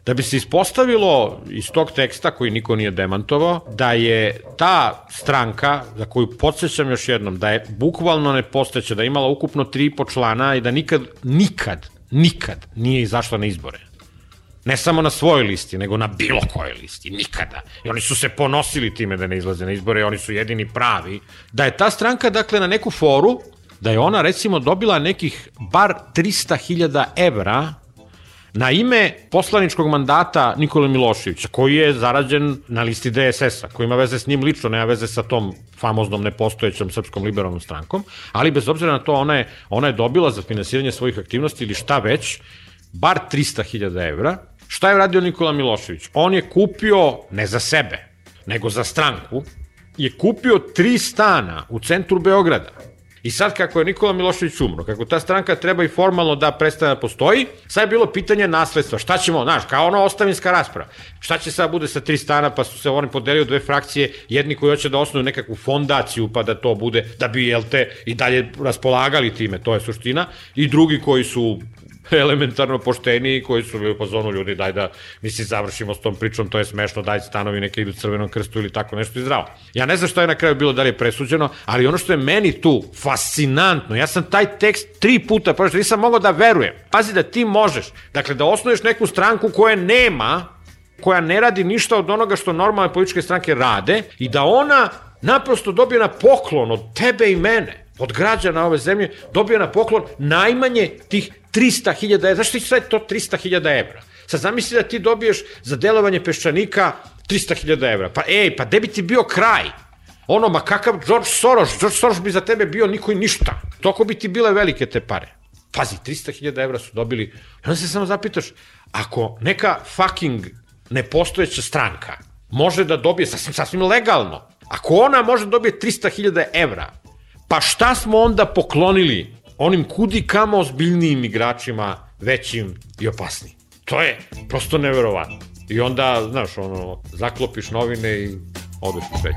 da bi se ispostavilo iz tog teksta, koji niko nije demantovao, da je ta stranka, za koju podsjećam još jednom, da je bukvalno nepostojeća, da je imala ukupno 3,5 člana i da nikad nije izašla na izbore. Ne samo na svojoj listi, nego na bilo kojoj listi, nikada. I oni su se ponosili time da ne izlaze na izbore i oni su jedini pravi. Da je ta stranka, dakle, na neku foru, da je ona, recimo, dobila nekih bar 300.000 evra na ime poslaničkog mandata Nikole Miloševića, koji je zarađen na listi DSS-a, koji ima veze s njim lično, nema veze sa tom famoznom nepostojećom Srpskom liberalnom strankom, ali bez obzira na to ona je dobila za finansiranje svojih aktivnosti ili šta već, bar 300.000 evra. Šta je radio Nikola Milošević? On je kupio, ne za sebe, nego za stranku, je kupio 3 stana u centru Beograda. I sad kako je Nikola Milošević umro, kako ta stranka treba i formalno da prestane da postoji, sad je bilo pitanje nasledstva. Šta ćemo, znaš, kao ono ostavinska rasprava. Šta će sad bude sa 3 stana, pa su se oni podelili u 2 frakcije, jedni koji hoće da osnuju nekakvu fondaciju, pa da to bude, da bi, jel te, i dalje raspolagali time, to je suština, i drugi koji su elementarno pošteni, koji su bili po zonu ljudi, daj da mi si završimo s tom pričom, to je smešno, daj stanovi neke idu Crvenom krstu ili tako nešto i zdravo. Ja ne znam šta je na kraju bilo, da li je presuđeno, ali ono što je meni tu fascinantno, ja sam taj tekst 3 puta pročitao, nisam mogao da verujem. Pazi da ti možeš, dakle da osnuješ neku stranku koja ne radi ništa od onoga što normalne političke stranke rade i da ona naprosto dobije na poklon od tebe i mene, od građana ove zemlje, dobije na poklon najmanje tih 300.000 evra. Zašto ti sad to 300.000 evra? Sad zamisli da ti dobiješ za delovanje Peščanika 300.000 evra. Pa gde bi ti bio kraj? Ono, ma kakav George Soros bi za tebe bio niko i ništa. Toko bi ti bile velike te pare. Pazi, 300.000 evra su dobili. I onda se samo zapitaš, ako neka fucking nepostojeća stranka može da dobije sasvim legalno, ako ona može da dobije 300.000 evra, pa šta smo onda poklonili onim kudi kamo ozbiljnijim igračima, većim i opasnijim? To je prosto neverovatno. I onda, znaš, ono, zaklopiš novine i odeš u svet.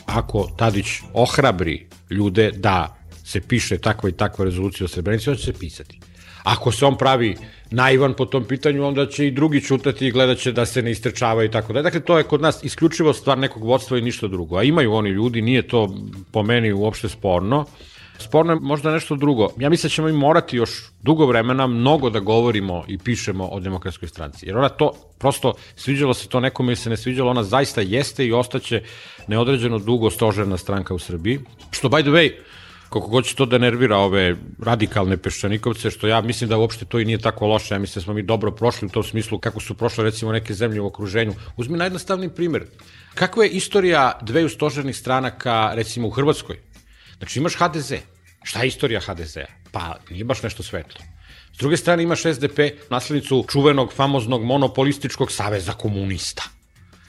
Ako Tadić ohrabri ljude da se piše takva i takva rezolucija o Srebrenici, on će se pisati. Ako se on pravi naivan po tom pitanju, onda će i drugi čutati i gledat će da se ne istrečava i tako da. Dakle, to je kod nas isključivo stvar nekog vodstva i ništa drugo. A imaju oni ljudi, nije to po meni uopšte sporno. Sporno je možda nešto drugo. Ja mislim da ćemo i morati još dugo vremena mnogo da govorimo i pišemo o Demokratskoj stranci. Jer ona to, prosto, sviđalo se to nekome ili se ne sviđalo, ona zaista jeste i ostaće neodređeno dugo stožerna stranka u Srbiji. Što, by the way, koliko god će to da nervira ove radikalne peščanikovce, što ja mislim da uopšte to i nije tako loše, ja mislim da smo mi dobro prošli u tom smislu kako su prošle recimo neke zemlje u okruženju. Uzmi najjednostavniji primjer. Kakva je istorija dveju stožernih stranaka recimo u Hrvatskoj? Znači imaš HDZ. Šta je istorija HDZ-a? Pa nije baš nešto svetlo. S druge strane imaš SDP, naslednicu čuvenog, famoznog, monopolističkog saveza komunista.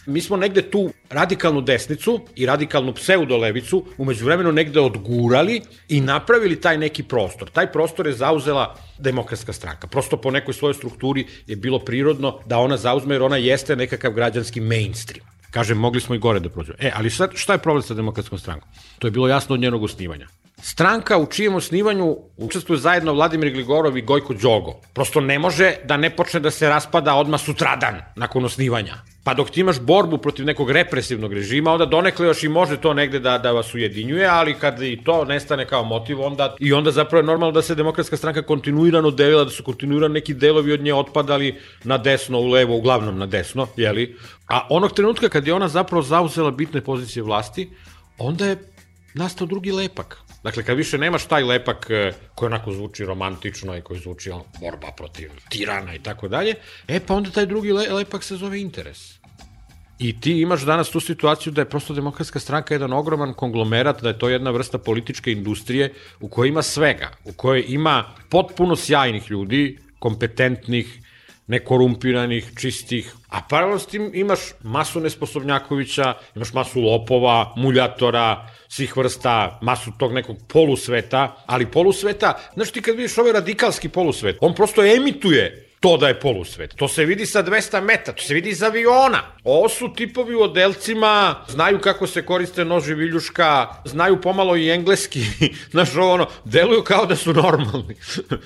Mi smo negde tu radikalnu desnicu i radikalnu pseudolevicu umeđu vremenu negde odgurali i napravili taj neki prostor. Taj prostor je zauzela Demokratska stranka. Prosto po nekoj svojoj strukturi je bilo prirodno da ona zauzme, jer ona jeste nekakav građanski mainstream. Kažem, mogli smo i gore da prođemo. Ali sad, šta je problem sa Demokratskom strankom? To je bilo jasno od njenog osnivanja. Stranka u čijem osnivanju učestvuje zajedno Vladimir Gligorov i Gojko Đogo. Prosto ne može da ne počne da se raspada odmah sutradan nakon osnivanja. Pa dok ti imaš borbu protiv nekog represivnog režima, onda donekle još i može to negde da vas ujedinjuje, ali kad i to nestane kao motiv, onda zapravo je normalno da se Demokratska stranka kontinuirano delila, da su kontinuirano neki delovi od nje otpadali na desno, u levo, uglavnom na desno, jeli? A onog trenutka kad je ona zapravo zauzela bitne pozicije vlasti, onda je nastao drugi lepak. Dakle, kad više nemaš taj lepak koji onako zvuči romantično i koji zvuči borba protiv tirana i tako dalje, pa onda taj drugi lepak se zove interes. I ti imaš danas tu situaciju da je prosto Demokratska stranka jedan ogroman konglomerat, da je to jedna vrsta političke industrije u kojoj ima svega, u kojoj ima potpuno sjajnih ljudi, kompetentnih, nekorumpiranih, čistih, a paralelno s tim imaš masu nesposobnjakovića, imaš masu lopova, muljatora, svih vrsta, masu tog nekog polusveta, ali polusveta, znaš ti kad vidiš ovaj radikalski polusvet, on prosto emituje to da je polusvet. To se vidi sa 200 metara, to se vidi iz aviona. Ovo su tipovi u odelcima, znaju kako se koriste noži viljuška, znaju pomalo i engleski, znaš ovo deluju kao da su normalni,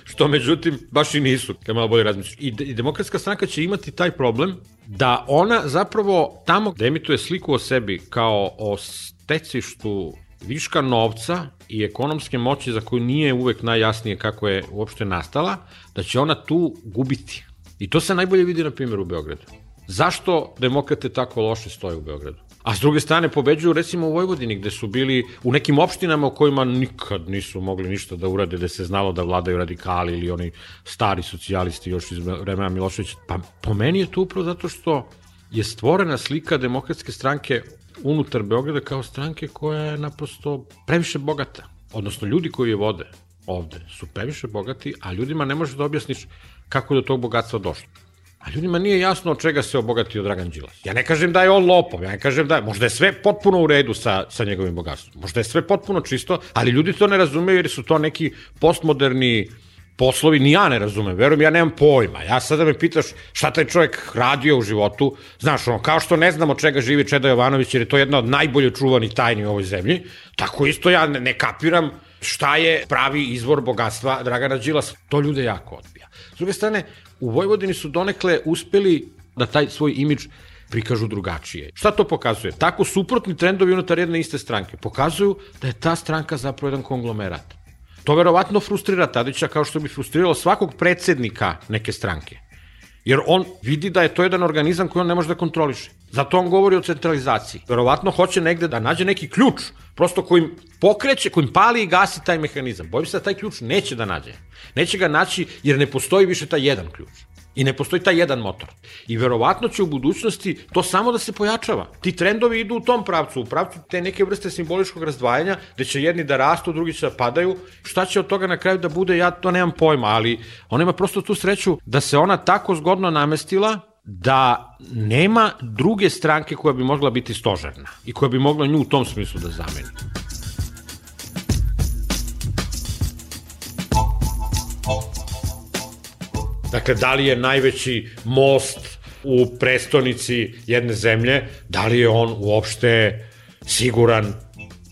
što međutim baš i nisu, kad malo bolje razmišljaš. I Demokratska stranka će imati taj problem da ona zapravo tamo gde emituje sliku o sebi kao o stecištu viška novca i ekonomske moći za koju nije uvek najjasnije kako je uopšte nastala, da će ona tu gubiti. I to se najbolje vidi na primjer u Beogradu. Zašto demokrate tako loše stoje u Beogradu? A s druge strane pobeđuju recimo u Vojvodini, gde su bili u nekim opštinama u kojima nikad nisu mogli ništa da urade, gde se znalo da vladaju radikali ili oni stari socijalisti još iz vremena Miloševića. Pa po meni je to upravo zato što je stvorena slika Demokratske stranke unutar Beograda kao stranke koja je naprosto previše bogata. Odnosno ljudi koji je vode ovde su previše bogati, a ljudima ne možeš da objasniš kako je do tog bogatstva došlo. A ljudima nije jasno od čega se obogatio Dragan Đilas. Ja ne kažem da je on lopov, ja ne kažem da je, možda je sve potpuno u redu sa njegovim bogatstvom, možda je sve potpuno čisto, ali ljudi to ne razumeju jer su to neki postmoderni poslovi, ni ja ne razumem, verujem, ja nemam pojma. Ja sada me pitaš šta taj čovjek radio u životu, znaš, ono, kao što ne znam od čega živi Čeda Jovanović, jer je to jedna od najbolje čuvanih tajni u ovoj zemlji, tako isto ja ne kapiram šta je pravi izvor bogatstva Dragana Đilasa. To ljude jako odbija. S druge strane, u Vojvodini su donekle uspeli da taj svoj imidž prikažu drugačije. Šta to pokazuje? Tako suprotni trendovi unutar jedne iste stranke pokazuju da je ta stranka zapravo jedan konglomerat. To verovatno frustrira Tadića kao što bi frustriralo svakog predsednika neke stranke. Jer on vidi da je to jedan organizam koji on ne može da kontroliše. Zato on govori o centralizaciji. Verovatno hoće negde da nađe neki ključ, prosto kojim pokreće, kojim pali i gasi taj mehanizam. Bojim se da taj ključ neće da nađe. Neće ga naći jer ne postoji više taj jedan ključ. I ne postoji taj jedan motor. I verovatno će u budućnosti to samo da se pojačava. Ti trendovi idu u tom pravcu, u pravcu te neke vrste simboličkog razdvajanja, gde će jedni da rastu, drugi će da padaju. Šta će od toga na kraju da bude, ja to nemam pojma, ali ona ima prosto tu sreću da se ona tako zgodno namestila da nema druge stranke koja bi mogla biti stožerna i koja bi mogla nju u tom smislu da zameni. Dakle, da li je najveći most u prestonici jedne zemlje, da li je on uopšte siguran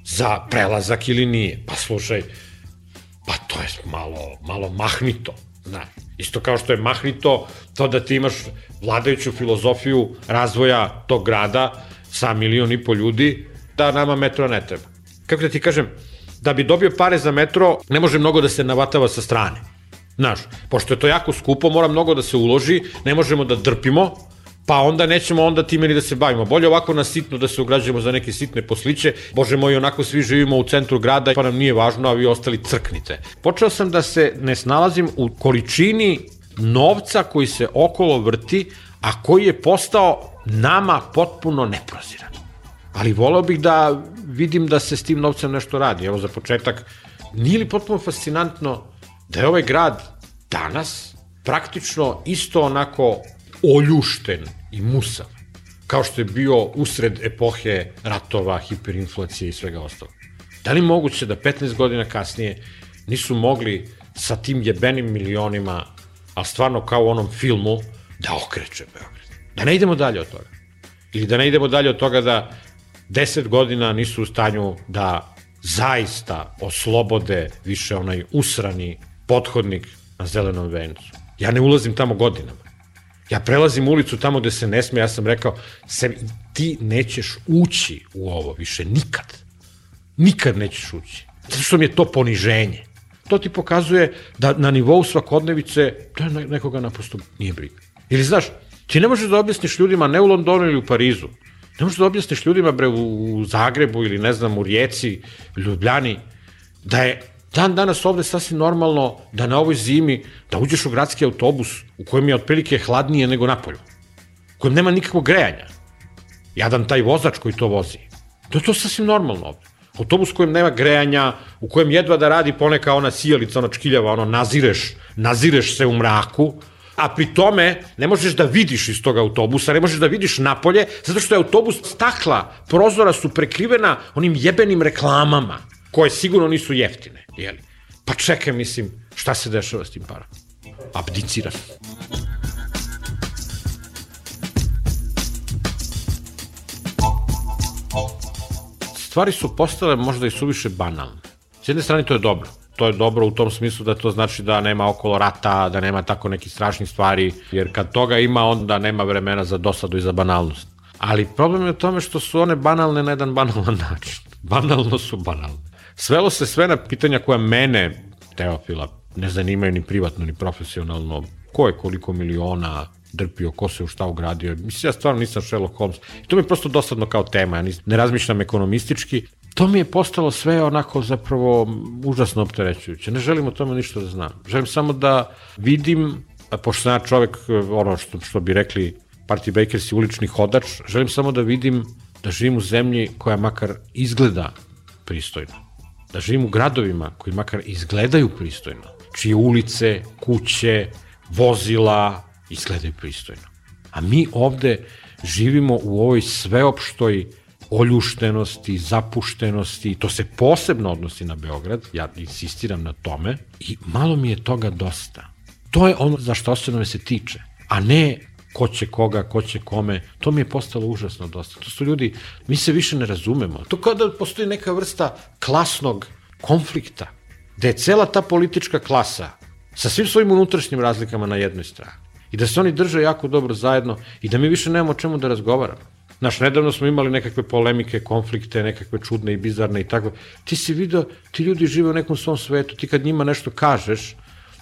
za prelazak ili nije? Pa slušaj, pa to je malo mahnito, znaš. Isto kao što je mahnito to da ti imaš vladajuću filozofiju razvoja tog grada sa 1,5 miliona ljudi, da nama metro ne treba. Kako da ti kažem, da bi dobio pare za metro, ne može mnogo da se navatava sa strane. Znaš, pošto je to jako skupo, mora mnogo da se uloži, ne možemo da drpimo, pa onda nećemo onda time ni da se bavimo. Bolje ovako na sitno da se ugrađujemo za neke sitne posliće, bože moj, onako svi živimo u centru grada, pa nam nije važno, a vi ostali crknite. Počeo sam da se ne snalazim u količini novca koji se okolo vrti, a koji je postao nama potpuno neproziran. Ali voleo bih da vidim da se s tim novcem nešto radi. Evo za početak, nije li potpuno fascinantno da je ovaj grad danas praktično isto onako oljušten i musav, kao što je bio usred epohe ratova, hiperinflacije i svega ostalo. Da li moguće da 15 godina kasnije nisu mogli sa tim jebenim milionima, ali stvarno kao u onom filmu, da okreće Beograd? Da ne idemo dalje od toga. Ili da ne idemo dalje od toga da 10 godina nisu u stanju da zaista oslobode više onaj usrani pothodnik na Zelenom vencu. Ja ne ulazim tamo godinama. Ja prelazim ulicu tamo gde se ne sme, ja sam rekao sebi, ti nećeš ući u ovo više nikad. Nikad nećeš ući. Zato što mi je to poniženje. To ti pokazuje da na nivou svakodnevice to nekoga naprosto nije briga. Ili znaš, ti ne možeš da objasniš ljudima ne u Londonu ili u Parizu, ne možeš da objasniš ljudima bre u Zagrebu ili ne znam u Rijeci, Ljubljani, da je dan danas ovde sasvim normalno da na ovoj zimi da uđeš u gradski autobus u kojem je otprilike hladnije nego napolju, u kojem nema nikakvog grejanja. Jadan taj vozač koji to vozi. To je to sasvim normalno ovde. Autobus u kojem nema grejanja, u kojem jedva da radi poneka ona sijalica, ona čkiljava, ono nazireš se u mraku, a pri tome ne možeš da vidiš iz tog autobusa, ne možeš da vidiš napolje, zato što je autobus stakla, prozora su prekrivena onim jebenim reklamama, koje sigurno nisu jeftine, jeli? Pa čekaj, mislim, šta se dešava s tim parom? Abdicira. Stvari su postale možda i suviše banalne. S jedne strane to je dobro. To je dobro u tom smislu da to znači da nema okolo rata, da nema tako nekih strašnih stvari, jer kad toga ima, onda nema vremena za dosadu i za banalnost. Ali problem je u tome što su one banalne na jedan banalan način. Banalno su banalne. Svelo se sve na pitanja koja mene, Teofila, ne zanimaju ni privatno, ni profesionalno. Ko je koliko miliona drpio, ko se u šta ugradio. Mislim, ja stvarno nisam Sherlock Holmes. I to mi je prosto dosadno kao tema. Ja ne razmišljam ekonomistički. To mi je postalo sve onako zapravo užasno opterećujuće. Ne želim o tome ništa da znam. Želim samo da vidim, pošto sam ja čovek, ono što bi rekli Party Bakers i ulični hodač, želim samo da vidim da živim u zemlji koja makar izgleda pristojno. Da živim u gradovima koji makar izgledaju pristojno. Čije ulice, kuće, vozila izgledaju pristojno. A mi ovde živimo u ovoj sveopštoj oljuštenosti, zapuštenosti, i to se posebno odnosi na Beograd, ja insistiram na tome, i malo mi je toga dosta. To je ono za što osnovno se tiče, a ne ko će koga, ko će kome, to mi je postalo užasno dosta. To su ljudi, mi se više ne razumemo. To kao da postoji neka vrsta klasnog konflikta, gde je cela ta politička klasa sa svim svojim unutrašnjim razlikama na jednoj strani i da se oni drže jako dobro zajedno i da mi više nemamo o čemu da razgovaramo. Znaš, nedavno smo imali nekakve polemike, konflikte, nekakve čudne i bizarne i tako. Ti si vidio, ti ljudi žive u nekom svom svetu, ti kad njima nešto kažeš,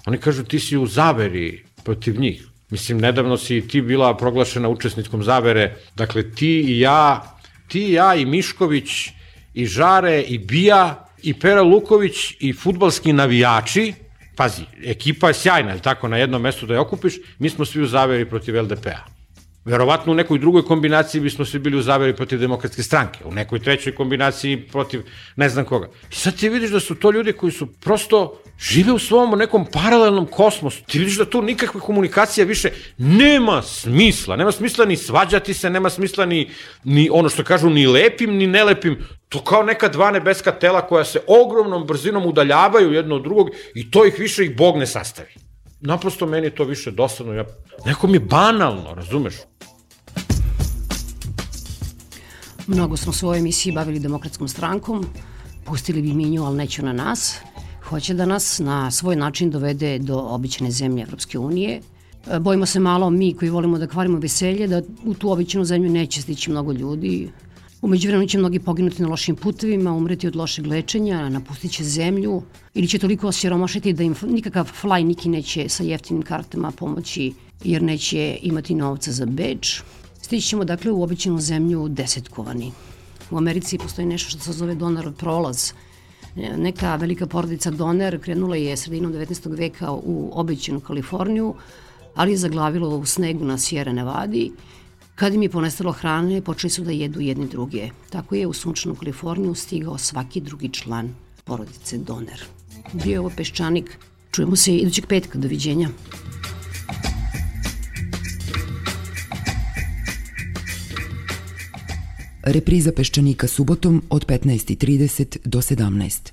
oni kažu ti si u zaveri protiv njih. Mislim, nedavno si ti bila proglašena učesnickom zavere, dakle ti i ja i Mišković i Žare i Bija i Pera Luković i fudbalski navijači, pazi, ekipa je sjajna, je li tako, na jednom mestu da je okupiš, mi smo svi u zaveri protiv LDP-a. Verovatno u nekoj drugoj kombinaciji bismo svi bili u zaveri protiv Demokratske stranke, u nekoj trećoj kombinaciji protiv ne znam koga. I sad ti vidiš da su to ljudi koji su prosto žive u svom nekom paralelnom kosmosu. Ti vidiš da tu nikakve komunikacija više nema smisla. Nema smisla ni svađati se, nema smisla ni ono što kažu ni lepim ni nelepim. To kao neka dva nebeska tela koja se ogromnom brzinom udaljavaju jedno od drugog i to ih više ih Bog ne sastavi. Naprosto meni je to više dosadno. Nekom je banalno, razumeš? Mnogo smo se u ovoj emisiji bavili Demokratskom strankom, pustili bi Minju, ali neću na nas. Hoće da nas na svoj način dovede do obične zemlje Evropske unije. Bojimo se malo mi koji volimo da kvarimo veselje, da u tu običnu zemlju neće stići mnogo ljudi. Umeđu vremenu će mnogi poginuti na lošim putevima, umreti od lošeg lečenja, napustit će zemlju ili će toliko osiromašiti da im nikakav fly niki neće sa jeftinim kartama pomoći jer neće imati novca za Beč. Stići ćemo dakle u običnu zemlju desetkovani. U Americi postoji nešto što se zove Donner prolaz. Neka velika porodica Donner krenula je sredinom 19. veka u običnu Kaliforniju, ali je zaglavilo u snegu na Sierra Nevadi. Kad im je ponestalo hrane, počeli su da jedu jedni druge. Tako je u sunčanu Kaliforniju stigao svaki drugi član porodice Donner. Bio je ovo Peščanik. Čujemo se idućeg petka. Doviđenja. Repriza Peščanika subotom od 15:30 do 17.